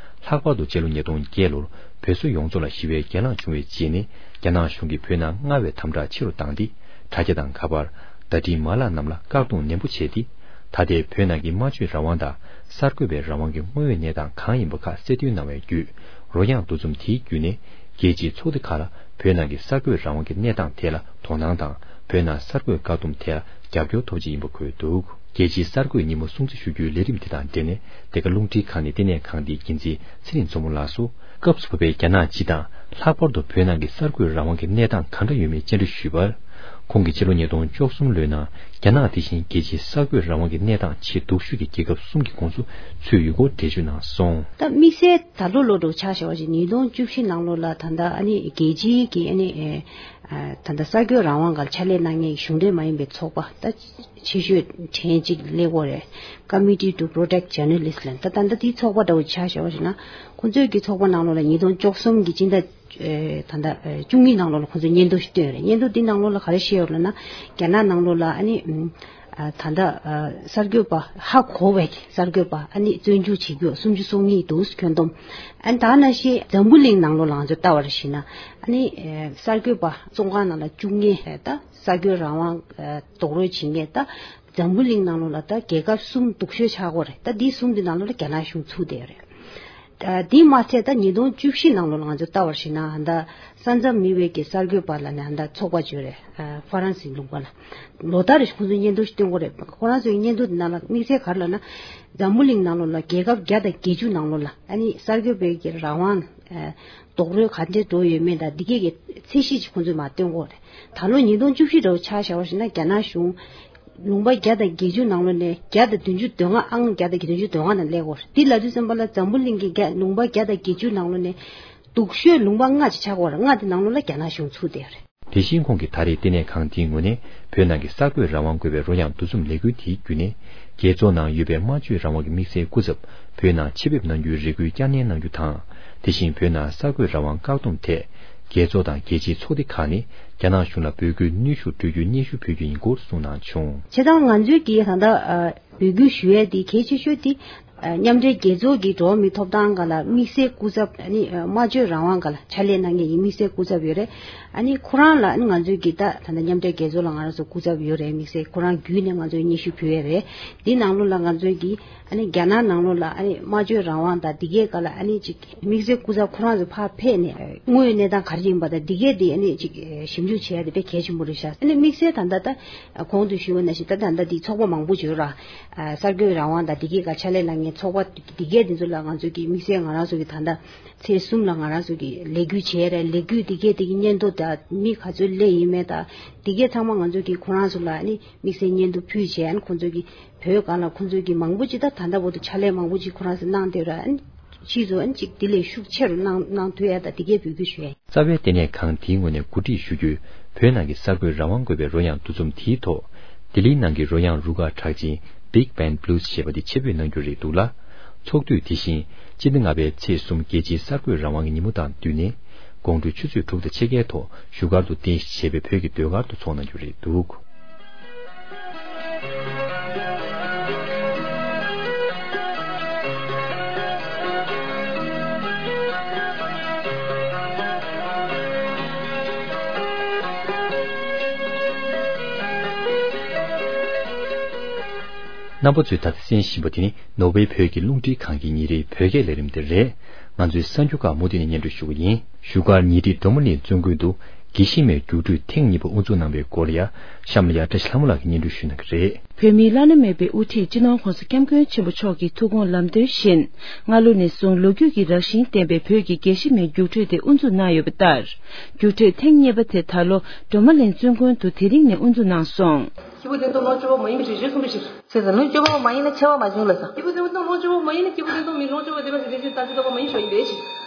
ལྷག་པར་དུ་སྤྱི་ལོ་ཉིས་སྟོང་བརྒྱད་ལོར་བོད་སོག་ཡོངས་རྫོགས་ལ་ཞི་བའི་གྱེན་ལངས་བྱུང་བའི་རྗེས་ནས། རྒྱ་ནག་གཞུང་གིས་བོད་ནང་མངའ་བའི་དམ་དྲག་ཆེ་རུ་བཏང་སྟེ། དྲ་རྒྱ་དང་ཁ་པར། བརྡ་འཕྲིན་མ་ལག་རྣམས་ལ་བཀག་སྡོམ་ནན་པོ་བྱས་ཏེ། ད་ལྟའི་བོད་ནང་གི་སྨྲ་བརྗོད་རང་དབང་དང་། གསར་འགོད་པའི་རང་དབང་གི་དངོས་ཡོད་གནས་སྟངས་གང་ཡིན་པ་ཁག་གསལ་སྟོན་གནང་བའི་བརྒྱུད། རོལ་དབྱངས་འདུ་འཛོམས་དེའི་བརྒྱུད་ནས། རྒྱལ་སྤྱིའི་ཚོགས་སྡེ་ཁག་ལ་བོད་ནང་གི་གསར་འགོད་རང་དབང་གི་གནས་སྟངས་ཐད་ལ་དོ་སྣང་དང་། བོད་ནང་གསར་འགོད་བཀག་སྡོམ་ཐད་ལ་རྒྱབ་སྐྱོར་ཐོབ་ཆེད་ཡིན་པ་འཁོད་འདུག་རྒྱལ་སྤྱིའི་གསར་འགོད་ཉིན་མོ་སྲུང་བརྩི་ཞུ་རྒྱུའི་ལས་རིམ་དེ་དང་འབྲེལ་ནས། འདི་ག་རླུང་འཕྲིན་ཁང་ནས་ལྟེ་གནས་ཁང་འདིའི་འགན་འཛིན་ཚེ་རིང་མཚོ་མོ་ལགས་སུ། སྐབས་སུ་བབས་པའི་རྒྱ་ནག་སྤྱི་དང་། ལྷག་པར་དུ་བོད་ནང་གི་གསར་འགོད་རང་དབང་གི་གནས་སྟངས་གང་འདྲ་ཡོད་མེད་བཅར་འདྲི་ཞུས་པར། ཁོང་གིས་ཕྱི་ལོ་ཉིས་སྟོང་བཅུ་གསུམ་ལོའི་ནང་། རྒྱ་ནག་དེ་བཞིན་རྒྱལ་སྤྱིའི་གསར་འགོད་རང་དབང་གི་གནས་སྟངས་ཆེས་སྡུག་ཤོས་ཀྱི་རྒྱལ་ཁབ་གསུམ་གྱི་ཁོངས་སུ་ཚུད་ཡོད་སྐོར་འགྲེལ་བརྗོད་གནང་སོང་། ད་དམིགས་བསལ་ད་ལོ་ལོ་འགྲོ་ཆ་བཞག་པ་ཞིག་ཉིས་སྟོང་བཅུ་བཞི་ནང་ལོགས་ལ་ད་ལྟ་ཨ་ནི་རྒྱལ་སྤྱིའི་གི་ཨ་ནི་ཨེ་ཨ་ད་ལྟ་གསར་འགོད་རང་དབང་སྒང་ཕྱག་ལས་གནང་མཁན་གྱི་གཞུང་འབྲེལ་མ་ཡིན་པའི་ཚོགས་པ་ད་ཆེ་ཤོས་གྲས་གཅིག་སླེབས་ཡོད་རེད། Committee to Protect Journalists ལབ། ད་ད་ལྟ་དེའི་ཚོགས་པ་འདྲ་བོ་ཆ་བཞག་པ་ཞིག་ན། ཁོང་ཚོའི་གི་ཚོགས་པ་ནང་ལོགས་ལ་ཉིས་སྟོང་བཅུ་གསུམ་གི་སྤྱི་ཟླ་ཨེ་ད་ལྟ་ཨེ་བཅུ་གཉིས་ནང་ལོགས་ལ་ཁོང་ཚོས་སྙན་ཐོ་ཞིག་བཏོན་ཡོད་རེད། སྙན་ཐོ་འདི་ནང་ལོགས་ལ་ག་རེ་བཤད་ཡོད་རེད་ལབ་ན། རྒྱ་ནག་ནང་ལོགས་ལ་ཨ་ནི་ཨ་ད་ལྟ་ཨ་གསར་འགོད་པ་ཧ་གོ་བའི་གསར་འགོད་པ་ཨ་ནི་བཙོན་འཇུག་བྱེད་རྒྱུ་སུམ་ཅུ་སོ་གཉིས་འདུག་ཁྱོན་བསྡོམས། ཨ་ནི་ད་ནང་བཞིན་འཛམ་བུ་གླིང་ནང་ལོགས་ལ་ང་ཚོས་ལྟ་བ་རེ་བྱས་ན། ཨ་ནི་ཨ་གསར་འགོད་པ་བཙོན་ཁང་ནང་ལ་བཅུག་མཁན་ད་གསར་འགོད་རང་དབང་ཨ་རྡོག་རོལ་བྱེད་མཁན་ད་འཛམ་བུ་གླིང་ནང་ལོགས་ལ་ད་རྒྱལ་ཁབ་གསུམ་སྡུག་ཤོས་ཆགས་ཀྱི་ཡོད་རེད། ད་འདི་གསུམ་འདི་ནང་ལོགས་ལ་རྒྱ་ནག་གཞུང་ཚུད་བསྡད་ཡོད་རེད། ཨ་དེ་མ་ཚད་ད་ཉིས་སྟོང་བཅུ་བཞི་ནང་ལོགས་ལ་ང་ཚོས་ལྟ་བར་ཞིག་ན་ད་ས་མཚམས་མེད་པའི་གི་གསར་འགོད་པ་ལབ་ནས་ད་ཚོགས་པ་ཅིག་ཡོད་རེད། ཨ་ཧྥ་རན་སིའི་ལུང་པ་ལ་ལོ་ལྟར་རེ་ཁོང་ཚོས་སྙན་ཐོ་ཞིག་བཏོན་གྱི་ཡོད་རེད། ཁོ་རང་ཚོའི་སྙན་ཐོ་དེ་ནང་ལ་དམིགས་བསལ་ག་རེ་ལབ་ན། འཛམ་བུ་གླིང་ནང་ལོགས་ལ་རྒྱལ་ཁབ་བརྒྱ་དང་བརྒྱད་ཅུ་ནང་ལོགས་ལ་ཨ་ནི་གསར་འགོད་པའི་གི་རང་དབང་ཨ་རྡོག་རོལ་ག་འདྲས་འགྲོ་ཡོད་མེད་དང་འདི་གས་ཀྱི་ཚད་གཞི་ཅིག་ཁོང་ཚོས་མར་བཏོན་གྱི་ཡོད་རེད། ད་ལོ་ཉིས་སྟོང་བཅུ་བཞི་འདྲ་བོ་ཆ་བཞག་པ་ཞིག་ན་རྒྱ་ནག་གཞུང་ལུང་པ་བརྒྱ་དང་བརྒྱད་ཅུ་ནང་ལོགས་ནས་བརྒྱ་དང་བདུན་ཅུ་དོན་ལྔ། ཨང་བརྒྱ་དང་བདུན་ཅུ་དོན་ལྔ་ནང་སླེབས་ཡོད་རེད། འདི་ལབ་དུས་ཙམ་པ་ལ་འཛམ་བུ་གླིང་གི་རྒྱ་ལུང་པ་བརྒྱ་དང་བརྒྱད་ཅུ་ནང་ལོགས་ནས་སྡུག་ཤོས་ལུང་པ་ལྔ་ཅིག་ཆགས་ཡོད་རེད། ལྔ་དེ་ནང་ལོགས་ལ་རྒྱ་ནག་གཞུང་ཚུད་བསྡད་ཡོད་རེད། དེ་བཞིན་ཁོང་གིས་ད་རེས་ལྟེ་གནས་ཁང་དེའི་ངོས་ནས་བོད་ནང་གི་གསར་འགོད་རང་དབང་དགོས་པའི་རོལ་དབྱངས་འདུ་འཛོམས་ལས་འགུལ་དེའི་བརྒྱུད་ནས། རྒྱལ་ཚོགས་ནང་ཡོད་པའི་སྨྲ་བརྗོད་རང་དབང་གི་དམིགས་བསལ་སྐུ་ཚབ་བོད་ནང་ཆེད་ཕེབས་གནང་རྒྱུའི་རེ་སྐུལ་བསྐྱར་ནན་གནང་རྒྱུ་དང་། དེ་བཞིན་བོད་ནང་གསར་འགོད་རང་དབང་བཀག་སྡོམ་ཐད། རྒྱལ་ཚོགས་དང་རྒྱལ་སྤྱིའི་ཚོགས་སྡེ་ཁག་ནས་རྒྱ་ནག་གཞུང་ལ་འབོད་སྐུལ་ནུས་ཤུགས་སྤྲོད་རྒྱུའི་སྙན་ཞུ་ཕུལ་རྒྱུ་ཡིན་སྐོར་གསུངས་གནང་བྱུང་། བྱས་ཙང་ང་ཚོའི་གི་ད་ལྟ་ཨ་འབོད་སྐུལ་ཞུ་ཡས་དེ་གལ་ཆེ་ཤོས་དེ། ཨ་མཉམ་འབྲེལ་རྒྱལ་ཚོགས་ཀྱི་འགྲོ་བ་མིའི་ཐོབ་ཐང་སྒང་ལ་དམིགས་བསལ་སྐུ་ཚབ། ཨ་ནི་ཨ་སྨྲ་བརྗོད་རང་དབང་སྒང་ལ་ཕྱག་ལས་གནང་མཁན་གྱི་དམིགས་བསལ་སྐུ་ཚབ་ཡོད་རེད། ཨ་ནི་ཁོ་རང་ལ་ཨ་ནི་ང་ཚོས་ཀྱི་ད་ད་ལྟ་མཉམ་འབྲེལ་རྒྱལ་ཚོགས་ལ་ང་རང་ཚོ་སྐུ་ཚབ་ཡོད་རེད། དམིགས་བསལ་ཁོ་རང་བརྒྱུད་ནས་ང་ཚོས་སྙན་ཞུ་ཕུལ་ཡས་རེད། འདི་ནང་ལོགས་ལ་ང་ཚོས་ཀྱི་ཨ་ནི་རྒྱ་ནག་ནང་ལོགས་ལ་ཨ་ནི་སྨྲ་བརྗོད་རང་དབང་དང་འདི་གའི་སྒང་ལ་ཨ་ནི་ཅིག་དམིགས་བསལ་སྐུ་ཚབ་ཁོ་རང་ཚོ་ཕར་ཕེབས་ནས་དངོས་ཡོད་གནས་སྟངས་ག་རེ་ཡིན་པ་དང་འདི་གའི་འདི་ཨ་ནི་ཅིག་ཞིབ་འཇུག་བྱེད་ཡ་དེ་དཔེ་གལ་ཆེན་པོ་རེད་ཤག་ཨ་ནི་དམིགས་བསལ་ད་ལྟ་ད་གོང་དུ་ཞུས་པ་ནང་བཞིན་ད་ད་ལྟ་འདི་ཚོགས་པ་མང་པོ་ཡོད་ར། གསར་འགོད་རང་དབང་དང་འདི་གའི་སྒང་ཕྱག་ལས་གནང་མཁན་ཚོགས་པ་འདི་གའི་འདི་ཚོ་ལ་ང་ཚོ་གི་དམིགས་བསལ་ང་རང་ཚོ་གི་ད་ལྟ་ཚེས་གསུམ་ལ་ང་རང་ཚོ་གི་ལས་འགུལ་བྱས་རེད། ལས་འགུལ་འདི་གའི་འདི་གི་སྙན་ཐོ་དང་མི་ག་ཚོད་སླེབས་ཡིན་མེད་དང་འདི་གའི་ཚང་མ་ང་ཚོ་གི་ཁོ་རང་ཚོ་ལ་ཨ་ནི་དམིགས་བསལ་སྙན་ཐོ་ཕུལ་བྱས། ཨ་ནི་ཁོ་ཚོ་གི་བོད་སྒང་ལ་ཁོ་ཚོ་གི་མང་པོ་ཅིག་ད་ད་ལྟ་བར་དུ་ཕྱག་ལས་མང་པོ་ཅིག་ཁོ་རང་ཚོ་གནང་བསྡད་ར། ཨ་ནི་ཕྱིས་སུ་ཨ་ནི་ཅིག་དེ་ལས་ཤུགས་ཆེ་རུ་གནང་གནང་ཐུབ་ཡ་ད་འདི་གའི་འབོད་སྐུལ་ཞུ་ཡ་ཡིན། རྩ་བའི་ལྟེ་གནས་ཁང་དེའི་ངོས་ནས་གོ་སྒྲིག་ཞུ་རྒྱུའི་བོད་ནང་གི་གསར་འགོད་རང་དབང་དགོས་པའི་རོལ་དབྱངས་འདུ་འཛོམས་དེའི་ཐོག་ལྡི་ལིའི་ནང་གི་རོལ་དབྱངས་རུ་ཁག་གྲགས་ཅན། Big Band Blues ཞེས་པ་དེ་ཆེད་འབོད་གནང་རྒྱུ་རེད་འདུག་ལ། ཚོགས་དུས་དེ་བཞིན་སྤྱི་ཟླ་ལྔ་པའི་ཚེས་གསུམ་རྒྱལ་སྤྱིའི་གསར་འགོད་རང་དབང་གི་ཉིན་མོ་དང་བསྟུན་ནས། དགོང་དྲོ་ཆུ་ཚོད་དྲུག་དང་ཕྱེད་ཀའི་ཐོག་བཞུགས་སྒར་དུ་རྟེན་གཞི་བྱས་པའི་བོད་ཀྱི་ཟློས་གར་དུ་ཚོགས་གནང་རྒྱུ་རེད་འདུག། རྣམ་པ་ཚོས་ད་ལྟ་གསན་བཞིན་པ་དེ་ནི་ནོར་ཝེ་བོད་ཀྱི་རླུང་འཕྲིན་ཁང་གི་ཉིན་རེའི་བོད་སྐད་ལས་རིམ་དེ་རེད། ང་ཚོའི་གསར་འགྱུར་ཁག་མུ་མཐུད་ནས་སྙན་སྒྲོན་ཞུ་གི་ཡིན། བཞུགས་སྒར་ཉེ་འཁྲིས་སྒྲོལ་མ་གླིང་བཙུན་དགོན་དུ་དགེ་བཤེས་མའི་རྒྱུགས་སྤྲོད་ཐེངས་གཉིས་པ་དབུ་འཛུགས་གནང་བའི་སྐོར་ལ་ཡ། གཤམ་ལ་ཡ་བཀྲ་ཤིས་ལྷ་མོ་ལགས་ཀྱིས་སྙན་སྒྲོན་ཞུ་གནང་གི་རེད། བོད་མིའི་བླ་ན་མེད་པའི་དབུ་ཁྲིད་སྤྱི་ནོར་༸གོང་ས་༸སྐྱབས་མགོན་ཆེན་པོ་མཆོག་གི་ཐུགས་དགོངས་ལམ་སྟོན་བཞིན། སྔ་ལོ་ནས་བཟུང་ལོ་རྒྱུས་ཀྱི་རང་བཞིན་ལྡན་པའི་བོད་ཀྱི་དགེ་བཤེས་མའི་རྒྱུགས་སྤྲོད་དེ་དབུ་འཛུགས་གནང་ཡོད་པ་ལྟར། རྒྱུགས་སྤྲོད་ཐེངས་གཉིས་པ་དེ་ད་ལོ་སྒྲོལ་མ་གླིང་བཙུན་དགོན་དུ་དེ་རིང་ནས་དབུ་འཛུགས་གནང་སོང་། སྐྱེས་བུ་བདེན་སྟོབས་ལོངས་སྤྱོད་པ་མ་ཡིན་པའི་རིགས་གཞན་གསུམ་པའི་ཕྱིར། ཟེར་ཟེར་ལོངས་སྤྱོད་པ་མ་ཡིན་ན་ཆེ་བ་མ་བྱུང་ལ་ཟེར། སྐྱེས་བུ་བདེན་སྟོབས་ལོངས་སྤྱོད་པ་མ་ཡིན་ན་སྐྱེས་བུ་བདེན་སྟོབས་མིན་ལོངས་སྤྱོད་པ་བདེན་པ་ཟེར་རིགས་གཞན་དང་ཚིག་ལྡོག་པ་མ་ཡིན་ཞོག་ཡིན་པའི་ཕྱིར།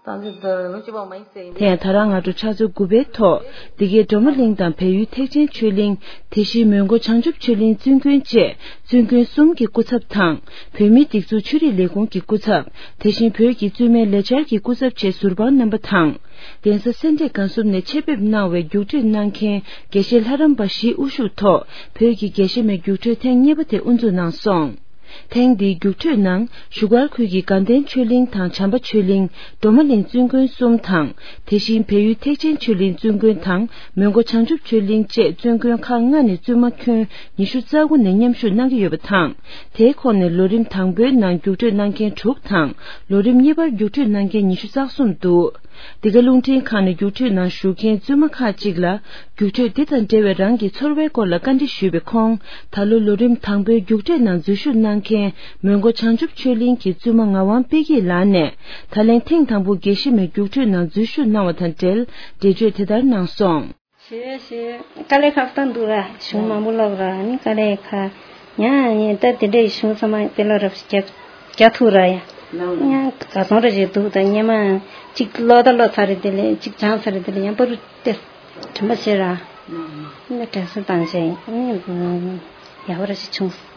དང་ཚིག་ལྡོག་ལོངས་སྤྱོད་པ་མ་ཡིན་ཟེར་ཡིན་པའི་ཕྱིར། དེ་ཡང་ད་རང་སྔ་དྲོ་ཕྱག་ཚོད་དགུ་པའི་ཐོག་འདི་གའི་སྒྲོལ་མ་གླིང་དང་བལ་ཡུལ་ཐེག་ཆེན་ཆོས་གླིང་། དེ་བཞིན་མོན་གྷོ་བྱང་ཆུབ་ཆོས་གླིང་བཙུན་དགོན་བཅས་བཙུན་དགོན་གསུམ་གྱི་སྐུ་ཚབ་དང་། བོད་མིའི་སྒྲིག་འཛུགས་ཆོས་རིག་ལས་ཁུངས་ཀྱི་སྐུ་ཚབ། དེ་བཞིན་བོད་ཀྱི་བཙུན་མའི་ལས་འཆར་གྱི་སྐུ་ཚབ་བཅས་ཟུར་དཔང་རྣམ་པ་དང་། གདན་ས་སེ་འབྲས་དགའ་གསུམ་ནས་ཆེད་ཕེབས་གནང་བའི་རྒྱུགས་སྤྲོད་གནང་མཁན་དགེ་བཤེས་ལྷ་རམས་པ་བཞིའི་དབུ་བཞུགས་ཐོག་བོད་ཀྱི་དགེ་བཤེས་མའི་རྒྱུགས་སྤྲོད་ཐེངས་གཉིས་པ་དེ་དབུ་འཛུགས་གནང་སོང་། ཐེངས་འདིའི་རྒྱུགས་སྤྲོད་ནང་བཞུགས་སྒར་ཁུལ་གྱི་དགའ་ལྡན་ཆོས་གླིང་དང་བྱམས་པ་ཆོས་གླིང་། སྒྲོལ་མ་གླིང་བཙུན་དགོན་གསུམ་དང་། དེ་བཞིན་བལ་ཡུལ་ཐེག་ཆེན་ཆོས་གླིང་བཙུན་དགོན་དང་། མོན་གྷོ་བྱང་ཆུབ་ཆོས་གླིང་བཅས་བཙུན་དགོན་ཁག་ལྔ་ནས་བཙུན་མ་ཁྱོན་ཉི་ཤུ་རྩ་དགུ་ནས་མཉམ་ཞུགས་གནང་གི་ཡོད་པ་དང་། དེའི་ཁོངས་ནས་ལོ་རིམ་དང་པོའི་ནང་རྒྱུགས་སྤྲོད་གནང་མཁན་དྲུག་དང་། ལོ་རིམ་གཉིས་པར་རྒྱུགས་སྤྲོད་གནང་མཁན་ཉི་ཤུ་རྩ་གསུམ་འདུག། འདི་ག་རླུང་འཕྲིན་ཁང་ནས་རྒྱུགས་སྤྲོད་ནང་ཞུགས་མཁན་བཙུན་མ་ཁག་ཅིག་ལ། རྒྱུགས་སྤྲོད་འདི་དང་འབྲེལ་བའི་རང་གི་ཚོར་བའི་སྐོར་ལ་བཀའ་འདྲི་ཞུས་པའི་ཁོངས། ད་ལོ་ལོ་རིམ་དང་པོའི་རྒྱུགས་སྤྲོད་ནང་འཛུལ་ཞུགས་གནང་མཁན་མོན་གྷོ་བྱང་ཆུབ་ཆོས་གླིང་གི་བཙུན་མ་ངག་དབང་དཔལ་སྐྱིད་ལགས་ནས། ད་ལན་ཐེངས་དང་པོ་དགེ་བཤེས་མའི་རྒྱུགས་སྤྲོད་ནང་འཛུལ་ཞུགས་གནང་བ་དང་འབྲེལ། འགྲེལ་བརྗོད་དེ་ལྟར་གནང་སོང་། ཞེས་ཞེས་དཀའ་ལས་ཁག་ཏང་འདུག་ར། གཞུང་མང་པོ་ལབ་ར་ནི་དཀའ་ལས་ཁ། ཡང་ཡང་ད་དེ་འདྲའི་གཞུང་ཚང་མ་དེ་ལ་རབ་རྒྱ་རྒྱ་ཐུག་ར་ཡ། ཡང་ག་ཚོང་ར་རེད་འདུག་ད་སྙེ་མ་གཅིག་ལོ་ད་ལོ་ཚར་རེད། དེ་ལས་གཅིག་སྦྱངས་ཚར་རེད། དེ་ལས་ཡང་པ་རུ་དེ་དྲན་པ་བྱེད་ར། ནི་དྲན་གསོ་བཏང་བྱས་ནི་ཡག་པོ་ར་ཞིག་བྱུང་།